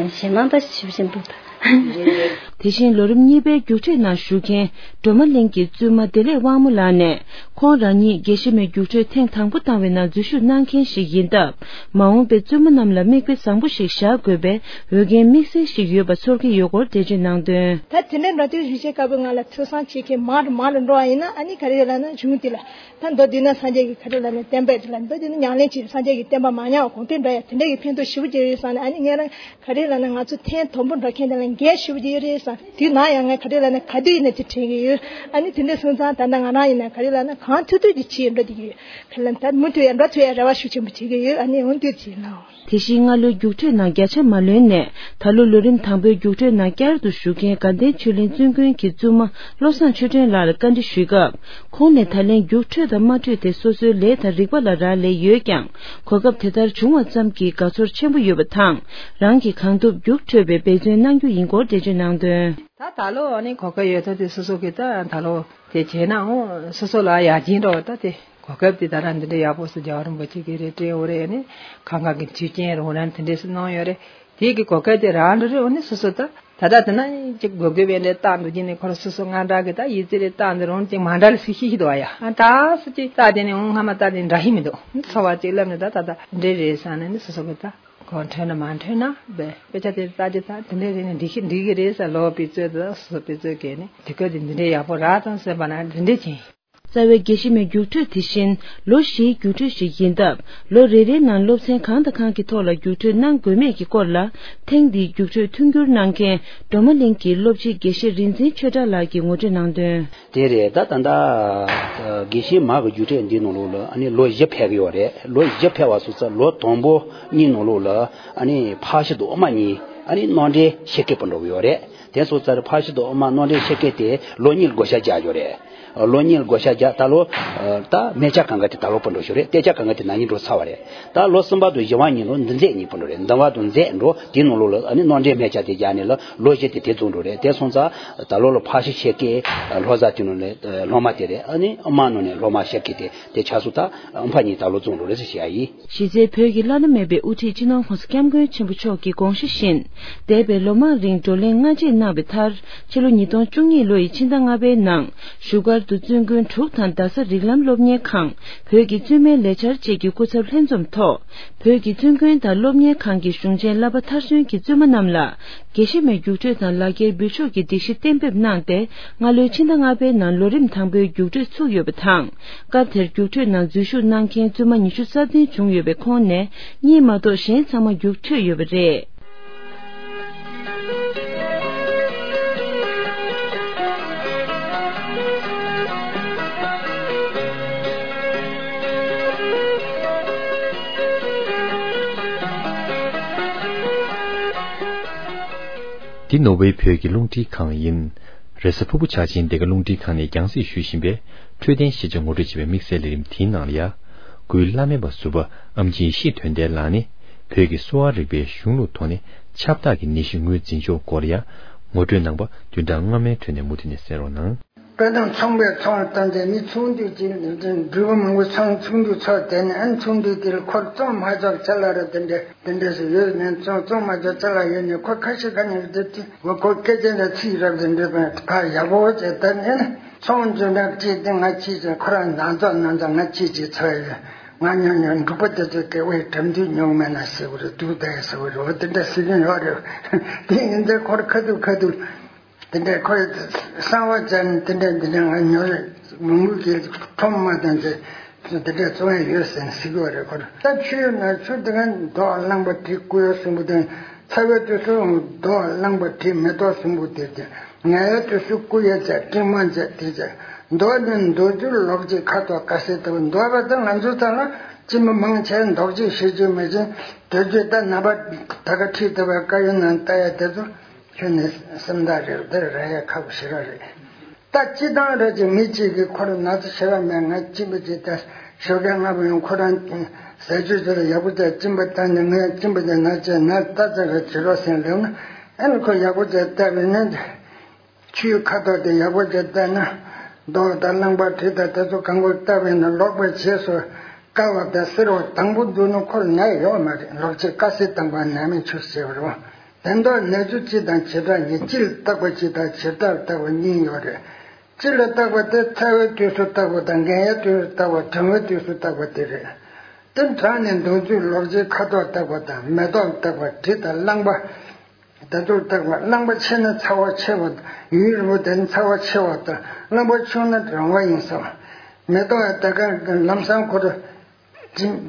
ཡང་ཞེ་མང་ད་ཞིབ་བཞིན་འདུག་ད། དེ་བཞིན་ལོ་རིམ་གཉིས་པའི་རྒྱུགས་སྤྲོད་ནང་ཞུགས་མཁན་སྒྲོལ་མ་གླིང་གི་བཙུན་མ་བདེ་ལེགས་དབང་མོ་ལགས་ནས། ཁོང་རང་ཉིད་དགེ་བཤེས་མའི་རྒྱུགས་སྤྲོད་ཐེངས་དང་པོ་བཏང་བའི་ནང་འཛུལ་ཞུགས་གནང་མཁན་ཞིག་ཡིན་སྟབས། མ་འོངས་པའི་བཙུན་མ་རྣམས་ལ་མིག་དཔེ་བཟང་པོ་ཞིག་བཞག་དགོས་པའི་འོས་འགན་དམིགས་བསལ་ཞིག་ཡོད་པ་ཚོར་གྱི་ཡོད་སྐོར་འགྲེལ་བརྗོད་གནང་དོན། ད་དེ་འདྲའི་འགྲོ་དུས་ཡུལ་ཤེས་དཀར་པོའི་ངང་ལ་ཐོས་བསམ་བྱེད་མཁན་མང་རུ་མང་རུ་འགྲོ་བ་ཡིན་ན། ཨ་ནི་ག་རེ་ཡོད་ལབ་ན་གཞུང་དེ་ལ། ད་མདོ་སྡེ་སྣོད་སངས་རྒྱས་ཀྱི་ག་རེ་ལབ་ན་བསྟན་པའི་དེ་ལ། མདོ་སྡེ་སྣོད་ཉམས་ལེན་བྱེད་སངས་རྒྱས་ཀྱི་བསྟན་པ་མ་ཉམས་པ་གོང་འཕེལ་འགྲོ་ཡ་དེ་འདྲ་གི་ཕན་ཐོགས་ཞེ་པོ་ཅིག་ཡོད་བསམ་ནས། ཨ་ནི་ངས་རང་ག་རེ་ལབ་ན་ང་ཚོ་ཐེངས་དང་པོ་འགྲོ་མཁན་དེ་ལ་འགན་ཞེ་པོ་ཅིག་ཡོད་རེད་བསམ། དུས་ནམ་ཡང་ངས་ག་རེ་ལབ་ན་ག་དུས་ཡིན་ན་དེ་དྲན་གྱི་ཡོད། ཨ་ནི་དེ་འདྲ་སོང་ཙང་ད་ལྟ་ང་རང་ཡིན་ན་ག་རེ་ལབ་ན་གང་ཐུབ་ཐུབ་ཀྱིས་བྱེད་འགྲོ་བསྡད་ཀྱི་ཡོད། ག་ལ་ད་མུ་མཐུད་ཡང་འགྲོ་ཐུབ་ཡ་རེ་བ་ཤུགས་ཆེན་པོ་བྱེད་ཀྱི་ཡོད། ཨ་ནི་འོ་འདུག་བྱེད་ལ། དེ་བཞིན་སྔ་ལོའི་རྒྱུགས་སྤྲོད་ནང་བརྒྱ་ཆ་མ་ལོན་ནས། ད་ལོ་ལོ་རིམ་དང་པོའི་རྒྱུགས་སྤྲོད་ནང་བསྐྱར་དུ་ཞུགས་མཁན་དགའ་ལྡན་ཆོས་གླིང་བཙུན་དགོན་གྱི་བཙུན་མ་བློ་བཟང་ཆོས་སྒྲོན་ལགས་ལ་བཀའ་འདྲི་ཞུས་སྐབས། ཁོང་ནས་ད་ལན་རྒྱུགས་འཕྲོད་དང་མ་འཕྲོད་དེ་སོ་སོའི་ལས་དང་རིག་པ་ལ་རག་ལས་ཡོད་ཀྱང་། གོ་སྐབས་དེ་ལྟར་བྱུང་བ་ཙམ་གྱིས་དགའ་ཚོར་ཆེན་པོ་ཡོད་པ་དང་། རང་གིས་གང་ཐུབ་རྒྱུགས་འཕྲོད་པའི་འབད་བརྩོན་གནང་རྒྱུ་ཡིན་སྐོར་འགྲེལ་བརྗོད་གནང་དོན། ད་ད་ལོ་ཨ་ནི་གོ་སྐབས་ཡོད་ཐོག་དེ་སོ་སོ་གིས་ད་ད་ལོ་དེ་བྱས་ནའང་སོ་སོ་ལ་ཡར་རྒྱས་འགྲོ་བ་ད་དེ་གོ་སྐབས་དེ་ད་ལྟ་འདི་འདྲ་ཡག་པོ་སུ་རྒྱལ་བ་རིན་པོ་ཆེ་གིས་རེད་སྤྲད་ཡོད་རེད། ཨ་ནི་གང་ག་གི་དུས་ཆེན་རོགས་རམ་དེ་འདྲས་སུ་གནང་ཡོད་རེད། དེ་གི་གོ་སྐབས་དེ་རག་འགྲོ་རེད། འོ་ནི་སོ་སོ་ད་ད་ལྟ་དེ་ན་ཅིག་དགོས་དགོས་པའི་འདྲ་བཏང་འདུག་ཅིག་ནི་ཁོ་རང་སོ་སོ་ང་འདྲ་གི་ད་ཡིད་ཚེ་རེ་བཏང་འདི་རང་ཅིག་མ་འདྲ་ལ་སུ་ཤེས་ཤེས་འདུག་ཨ་ཡ། ཨ་ད་སུ་ཅིག་ད་དེ་ནི་འོང་སྔ་མ་ད་དེ་འདྲ་ཧི་མི་འདུག་ཚོ་བ་ཅིག་ལབ་ནི་ད་ད་ད་འདྲེ་རེད་བསམ་ནས་ནི་སོ་སོ་གི་ད་གོ་འཕྲོད་ན་མ་འཕྲོད་ན་བས་དཔེ་ཆ་དེ་ལྟ་རྒྱུ་ད་དེ་འདྲས་རེད་ནི་འགྲིག་གི་འགྲིག་གི་རེད་ཟེར་ལོ་པའི་ཚོད་དུ་སོ་སོ་པའི་ཚོད་གས་ནི་དེ་ག་དེ་འདི་འདྲས་ཡག་པོ་རག་ཙང་ཟེར་བ་ན་འདི་འདྲས་ཅིག་རྩ་བའི་དགེ་བཤེས་མའི་རྒྱུགས་སྤྲོད་དེ་བཞིན་ལོ་བཞིའི་རྒྱུགས་སྤྲོད་ཞིག་ཡིན་སྟབས། ལོ་རེ་རེའི་ནང་སློབ་ཚན་གང་དང་གང་གི་ཐོག་ལ་རྒྱུགས་སྤྲོད་གནང་དགོས་མེད་ཀྱི་སྐོར་ལ། ཐེངས་འདིའི་རྒྱུགས་སྤྲོད་མཐུན་འགྱུར་གནང་མཁན་སྒྲོལ་མ་གླིང་གི་སློབ་སྤྱི་དགེ་བཤེས་རིག་འཛིན་ཆོས་གྲགས་ལགས་ཀྱིས་ངོ་སྤྲོད་གནང་དོན། དེ་རེད། ད་ད་ལྟ་དགེ་བཤེས་མ་གི་རྒྱུགས་སྤྲོད་འདིའི་ནང་ལོགས་ལ་ཨ་ནི་ལོ་བཞི་ཕེབས་ཀྱི་ཡོད་རེད། ལོ་བཞི་ཕེབས་པ་སོང་ཙང་ལོ་དང་པོ་གཉིས་ནང་ལོགས་ལ་ཨ་ནི་ཕར་ཕྱོགས་དུ་ཨོ་མ་གཉིས་ཨ་ནི་གནང་འབྲེལ་ཞུ་མཁན་པོ་འགྲོ་གི་ཡོད་རེད། དེ་སོང་ཙང་ཕར་ཕྱོགས་དུ་ཨོ་མ་གནམ་འདྲེན་ཤེས་མཁན་དེ་ལོ་གཉིས་བགོ་བཤའ་རྒྱག་རྒྱུ་རེད། ལོ་གཉིས་བགོ་བཤའ་རྒྱག་ད་ལོ་ད་མེ་ལྕགས་གང་ག་དེ་ད་ལོ་སྤུ་འགྲོ་ཞུ་རེད། གཏད་ལྕགས་གང་ག་དེ་ན་ནིང་འགྲོ་ཚར་བ་རེད། ད་ལོ་གསུམ་པ་དུ་བཞི་བ་ཉིན་ལོ་འདི་མཛད་གཉིས་སྤུ་འགྲོ་རེད། འདི་བ་དུ་མཛད་འགྲོ་དེའི་ནང་ལོ་ལ་ཨ་ནི་གནམ་འདྲེན་མེ་ལྕགས་དེ་རྒྱག་ནས་ལ་ལོ་བཞི་དེ་དེ་རྫོགས་འགྲོ་རེད། དེ་སོང་ཙང་ད་ལོ་ལ་ཕར་ཕྱོགས་ཤེས་མཁན་ལྷོ་ས་དེ་ནང་ལ་སློབ་མ་དེ་རེད། ཨ་ནི་ཨོ་མ་ནང་ནས་སློབ་མ་ཤེས་མཁན་དེ་དེ་ཆ་སོང་ད་ཨ་ཕ་གཉིས་ད་ལོ་རྫོགས་འགྲོ་རེད་ཟེར་བཤད་ཡ་ཡིན། གཞི་རྩའི་བོད་ཀྱི་བླ་ན་མེད་པའི་དབུ་ཁྲིད་སྤྱི་ནོར་༸གོང་ས་༸སྐྱབས་མགོན་ཆེན་པོ་མཆོག་གི་དགོངས་གཞི་བཞིན། འདས་པའི་ལོ་མང་རིང་བགྲོ་གླེང་སྔ་རྗེས་གནང་བའི་མཐར། ཕྱི་ལོ་ཉིས་སྟོང་བཅུ་གཉིས་ལོ་ཡི་ཕྱི་ཟླ་ལྔ་པའི་ནང་བཞུགས་སྒར་དུ་བཙུན་དགོན་དྲུག་དང་རྡ་ས་རིགས་ལམ་སློབ་གཉེར་ཁང་། བོད་ཀྱི་བཙུན་མའི་ལས་འཆར་བཅས་ཀྱི་སྐུ་ཚབ་ལྷན་འཛོམས་ཐོག་བོད་ཀྱི་བཙུན་དགོན་དང་སློབ་གཉེར་ཁང་གི་གཞུང་ཆེན་བསླབ་པ་མཐར་སོན་གྱི་བཙུན་མ་རྣམས་ལ། དགེ་བཤེས་མའི་རྒྱུགས་སྤྲོད་དང་ལག་འཁྱེར་འབུལ་ཕྱོགས་ཀྱི་སྒྲིག་གཞི་གཏན་འབེབས་གནང་སྟེ། སྔ་ལོའི་ཕྱི་ཟླ་ལྔ་པའི་ནང་ལོ་རིམ་དང་པོའི་རྒྱུགས་སྤྲོད་ཚུགས་ཡོད་པ་དང་། སྐབས་དེར་རྒྱུགས་སྤྲོད་ནང་འཛུལ་ཞུགས་གནང་མཁན་བཙུན་མ་ཉི་ཤུ་རྩ་བདུན་བྱུང་ཡོད་པའི་ཁོངས་ནས་གཉིས་མ་གཏོགས་གཞན་ཚང་མ་རྒྱུགས་འཕྲོད་ཡོད་པ་རེད། འདི་ནོར་ཝེ་བོད་ཀྱི་རླུང་འཕྲིན་ཁང་ཡིན། རེས་གཟའ་ཕུར་བུ་འཆར་ཅན་འདི་ག་རླུང་འཕྲིན་ཁང་ནས་རྒྱང་སྲིང་ཞུ་བཞིན་པའི་འཕྲོད་བསྟེན་ཤེས་བྱ་ངོ་སྤྲོད་བྱེད་པའི་དམིགས་བསལ་ལས་རིམ་དེའི་ནང་ལ་ཡ། སྐུའི་བླ་སྨན་པ་ཟུར་པ་ཨམ་ཆི་ཡེ་ཤེས་དོན་ལྡན་ལགས་ནས་བོད་ཀྱི་གསོ་བ་རིག་པའི་གཞུང་ལུགས་ཐོག་ནས་ཁྱབ་བདག་གི་ནད་གཞི་ངོས་འཛིན་ཕྱོགས་སྐོར་ལ་ཡ། ངོ་སྤྲོད་གནང་པ་བདུན་ཕྲག་སྔ་མའི་ཁྲོད་ནས་མུ་མཐུད་ནས་གསན་རོགས་གནང་། དཔེ་དང་ཚོང་པའི་ཚོང་བཏང་སྟེ་མི་ཚོང་འདུས་ཀྱི་འགྲུལ་པ་མང་པོ་ཚོང་ཚོང་འདུས་ཚོགས་དེ་ནས་ཨན་ཚོང་འདུས་དེ་ལ་ཁོར་བཙོང་མ་ཆོག་ཅ་ལག་ར་དེ་འདྲ་དེ་འདྲ་ཞིག་ཡོད་ནས་བཙོང་བཙོང་མ་ཆོག་ཅ་ལག་ཡོད་ནས་ཁོ་ཁ་ཤས་ཁ་ནས་བསྡད་དེ་ཁོ་སྐད་ཆ་འདྲ་ཚིག་རབ་དེ་འདྲ་པ་ཕར་ཡག་པོ་བྱས་ད་ནས་ཚོང་འདུས་རབ་ཅིག་དེ་ང་ཅིག་ཅིག་ཁོ་རང་ནང་ཚོགས་ནང་ཚོགས་ང་ཅིག་ཅིག་ཚོགས་ཡོད། ང་ཉོ་ཉོ་འབྲུག་པ་དེ་ཚོ་སྐད་བའི་གྲམ་དུས་ཉོ་མེད་ན་ཟེར་བ་རེད། འདུག་ད་ཟེར་བ་རེད། འོ་དེ་འདྲ་ཟེར་གྱིན་ཡོད་རེད། དེ་ཡིན་ཚེ་ཁོར་ཁ་ཐུག་ཁ་ཐུག་དེ་འདྲའི་ཁོས་གསང་བ་སྦྱར་ནས་དེ་འདྲའི་འདི་འདྲའི་ང་ཉོ་རེད། མི་མུ་གི་ཁྲོམ་མ་དང་དེ་དེ་འདྲའི་བཙོང་ཡ་ཡོད་ཟེར་ནས་ཟེར་གྱི་ཡོད་རེད། ཁོ་ད་ཆུ་ཡོད་ན་ཆུ་དེ་ག་མདོག་རླངས་པ་དྲི་སྐུ་ཡ་གསུམ་པོ་དེ་ཚ་བའི་དུས་སུ་མདོག་རླངས་པ་དྲི་མེ་ཏོག་གསུམ་པོ་དེ་དེ་ངལ་བའི་དུས་སུ་སྐུ་ཡ་བྱས་སྤྲིན་མ་བྱས་དེ་བྱས་མདོག་ནི་མདོག་བསྒྱུར་ལོག་བྱེད་ཁ་དོག་དཀར་སེར་ལྟ་བུ་མདོག་པ་དང་ང་ཚོ་ཚང་ལ་སྐྱིན་པ་མང་ཆེ་མདོག་བྱེད་ཤེས་རྒྱུ་མེད་ཅིང་དོད་བྱེད་ད་ནམ་པ་ད་ག་ཁྲིད་ལྟ་བའི་བཀའ་ཡོན་ནང་ལྟ་ཡ་དེ་ཚོ། ཁྱོད་ནི་སེམས་ཐག་རེད། འདིར་ར་ཡ་ཁག་པོ་ཞེ་དྲག་རེད། ད་སྤྱི་བཏང་རེད་ཅེས་མི་གཅིག་གིས་ཁོ་རང་ན་ཚ་ཞེ་དྲག་མེད། ང་གཅིན་པ་ཅིག་ད་ཞོགས་ཀས་སྔ་པོ་ཡང་ཁོ་རང་ཟས་བཅུད་ཅིག་ལ་ཡག་པོ་ཅིག་གཅིན་པ་བཏང་ནས་ང་ཡང་གཅིན་པ་ཅིག་ན་ཅེས་ན་ལྟ་ཙམ་རེ་བྱེད་རོགས་ཟེར་ལབ་ན་ཨེ་ནི་ཁོ་ཡག་པོ་ཅིག་བལྟས་པས་ནི་ཆུའི་ཁ་དོག་དེ་ཡག་པོ་ཅིག་བལྟས་ན་མདོག་དང་རླངས་པ་དྲི་དང་དེ་ཚོ་གང་པོ་བལྟས་པས་ན་ལོག་པའི་རྗེས་སུ་དཀར་བ་དང་སེར་བ་དང་པོ་འདུག་ན་ཁོར་ནད་ཡོད་མ་རེད། ལོག་བྱེད་དཀར་སེར་དང་པོ་ནད་མེད་ཆོས་ཟེར་བ་རེད། དོན་དག་ནད་གཞི་སྤྱི་དང་བྱེ་བྲག་གཉིས། སྤྱི་ལ་བརྟག་པ་གཅིག་དང་བྱེ་བྲག་ལ་བརྟག་པ་གཉིས་ཡོད་རེད། སྤྱི་ལ་བརྟག་པ་དེ་ཚ་བའི་དུས་སུ་བརྟག་པ་དང་། འགན་ཡའི་དུས་སུ་བརྟག་པ། གྲང་བའི་དུས་སུ་བརྟག་པ་དེ་རེད། དེ་གྲང་ནས་མདོག་བསྒྱུར་ལོག་བྱེད་ཁ་དོག་བརྟག་པ་དང་། མེ་ཏོག་ལ་བརྟག་པ། དྲི་དང་རླངས་པ་དེ་ཚོར་བརྟག་པ། རླངས་པ་ཆེ་ན་ཚ་བ་ཆེ་བ་དང་། ཡུན་རིང་པོ་བསྡད་ན་ཚ་བ་ཆེ་བ་དང་། རླངས་པ་ཆུང་ན་གྲང་བ་ཡིན་ས། མེ་ཏོག་ཡང་དེ་ག་ལམ་སང་ཁོ་རང་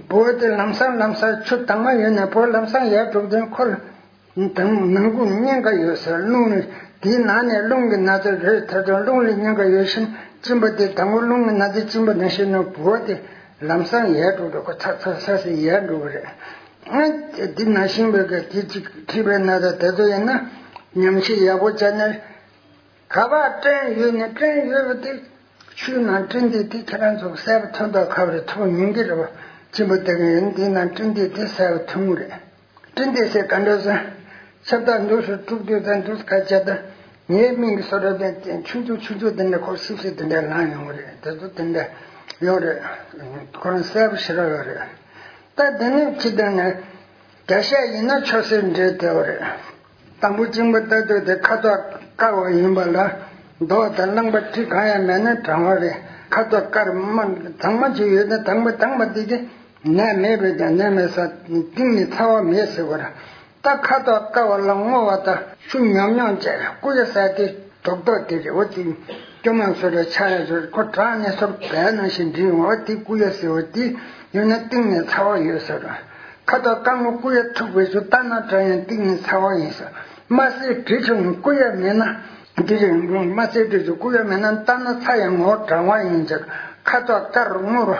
བོད་དེ་ལམ་སང་ལམ་སང་ཆུ་དྭངས་མ་ཡོད་ན་བོད་ལམ་སང་ཡར་འགྲོ་དུས་ཁོ་ལ་དྭངས་ནང་ཁུག་གཉན་ཁ་ཡོད་ཟེར། རླུང་ནི་དེའི་ནང་ནས་རླུང་གི་ན་ཚ་རེད། ད་དུང་རླུང་ལ་གཉན་ཁ་ཡོད་བཞིན་གཅིན་པ་དེ་དང་པོ་རླུང་གི་ན་ཚ་གཅིན་པ་ནང་བཞིན་ནོ། བོད་དེ་ལམ་སང་ཡར་འགྲོ་འགྲོ་ཁོ་ཚ་ཚ་ཚ་ཟེར་ཡར་འགྲོ་གི་རེད། ཨ་དེ་ནང་བཞིན་པའི་ག་དེ་གཅིག་མཁྲིས་པའི་ན་ཚ་དེ་ཚོ་ཡིན་ན་ཉམས་ཞིབ་ཡག་པོ་བྱས་ན། ག་པར་སྐྲན་ཡོད་ནས་སྐྲན་ཡོད་པ་དེ་ཆུའི་ནང་སྐྲན་འདི་དེ་ཁྱེད་རང་ཚོ་གསལ་པོ་ཐོན་མདོག་ཁ་པོ་རེད། ཐུག་མྱོང་གི་རེད་པ། གཅིན་པ་དེ་ག་ཡོད་ན་དེའི་ནང་སྐྲན་འདི་དེ་གསལ་པོ་ཐོན་གི་རེད། སྐྲན་འདི་ཟེར་ག་འདྲ་ཟེར། ཁྱབ་བདག་འདུག་སུ་དཀྲུག་དུས་དང་འདུག་ཁ་བྱས་ད་ངའི་མིང་གི་སོ་ར་དེ་ཆུང་ཆུང་ཆུང་ཆུང་དེ་འདྲ་ཁོ་སིབ་སིབ་དེ་འདྲ་ལངས་ཡོང་གི་རེད། དེ་ཚོ་དེ་འདྲ་ཡོད་རེད། ཁོ་རང་གསལ་པོ་ཞེ་དྲག་ཡོད་རེད། ད་དེ་ནས་ཕྱི་དོན་ནས་བརྒྱ་བཤད་ཡིན་ན་ཆོས་སྲིད་འབྲེལ་དེ་བ་རེད། དང་པོ་གཅིན་པ་ལྟ་དུས་དེ་ཁ་དོག་དཀར་བ་ཡིན་པ་ལ་མདོག་དང་རླངས་པ་དྲི་གང་ཡང་མེད་ན་གྲང་བ་རེད། ཁ་དོག་དཀར་མ་གཙང་མ་ཅིག་ཡོད་ན་དྭངས་པ་དྭངས་པ་དེ་དེ་ནད་མེད་པས་ཀྱང་ནད་མེད་ས་གཏིང་ནས་ཚ་བ་མེད་ཟེར་བ་རེད། ད་ཁ་དོག་དཀར་བ་ལ་སྔོ་བ་དང་ཆུ་ཉོབ་ཉོབ་བྱས་སྐུ་ཡ་ཟེར་དེ་རྡོག་རྡོག་དེ་རེད། འོ་དེ་སྐྱོ་མ་སོ་རེ་ཆ་ཡ་ཟེར་ཁོ་གྲང་ནས་སོར་བལ་ནང་བཞིན་འདྲིས་འོང་བ་དེ་སྐུ་ཡ་ཟེར་བ་དེ་ཡོད་ན་གཏིང་ནས་ཚ་བ་ཡོད་ཟེར། ཁ་དོག་དཀར་མོ་སྐུ་ཡ་ཐུག་པའི་ཚུལ་ལྟ་ན་གྲང་ཡང་གཏིང་ནས་ཚ་བ་ཡིན་ཟེར། དམར་སེར་དྲི་ཆུ་སྐུ་ཡ་མེད་ན་འདི་རེད། དམར་སེར་དྲི་ཆུ་སྐུ་ཡ་མེད་ན་ལྟ་ན་ཚ་ཡང་ངོ་བོ་གྲང་བ་ཡིན་ཟེར། ཁ་དོག་དཀར་སྔོ་རོ།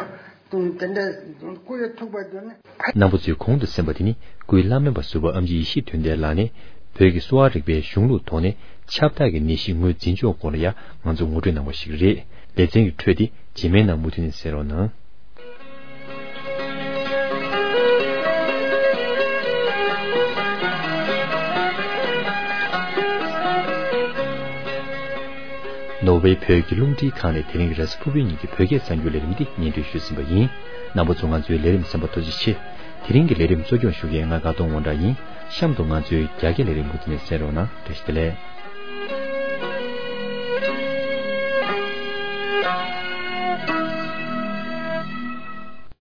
དེ་འདྲའི་སྐུ་ཡ་ཐུག་པ་དེ་ནི། རྣམ་པ་ཚོས་གོང་དུ་གསན་པ་དེ་ནི་སྐུའི་བླ་སྨན་པ་ཟུར་པ་ཨམ་ཆི་ཡེ་ཤེས་དོན་ལྡན་ལགས་ནས། བོད་ཀྱི་གསོ་བ་རིག་པའི་གཞུང་ལུགས་ཐོག་ནས་ཁྱབ་བདག་གི་ནད་གཞི་ངོས་འཛིན་ཕྱོགས་སྐོར་ལ་ཡང་ང་ཚོས་ངོ་སྤྲོད་གནང་བ་ཞིག་རེད། ལེ་ཚན་གྱི་འཕྲོས་དེ་རྗེས་མའི་ནང་མུ་མཐུད་ནས་གསན་རོགས་གནང་། ནོར་ཝེ་བོད་ཀྱི་རླུང་འཕྲིན་ཁང་ནས་དེ་རིང་གི་རེས་གཟའ་ཕུར་བུའི་ཉིན་གྱི་བོད་སྐད་གསར་འགྱུར་ལས་རིམ་འདི་སྙན་སྒྲོན་ཞུས་ཟིན་པ་ཡིན། རྣམ་པ་ཚོ་ང་ཚོའི་ལས་རིམ་གསན་པར་ཐུགས་རྗེ་ཆེ། དེ་རིང་གི་ལས་རིམ་གཙོ་སྐྱོང་ཞུ་མཁན་ང་དགའ་གདོང་དབང་གྲགས་ཡིན། གཤམ་དུ་ང་ཚོའི་རྒྱ་སྐད་ལས་རིམ་མུ་མཐུད་ནས་གསན་རོགས་གནང་། བཀྲ་ཤིས་བདེ་ལེགས།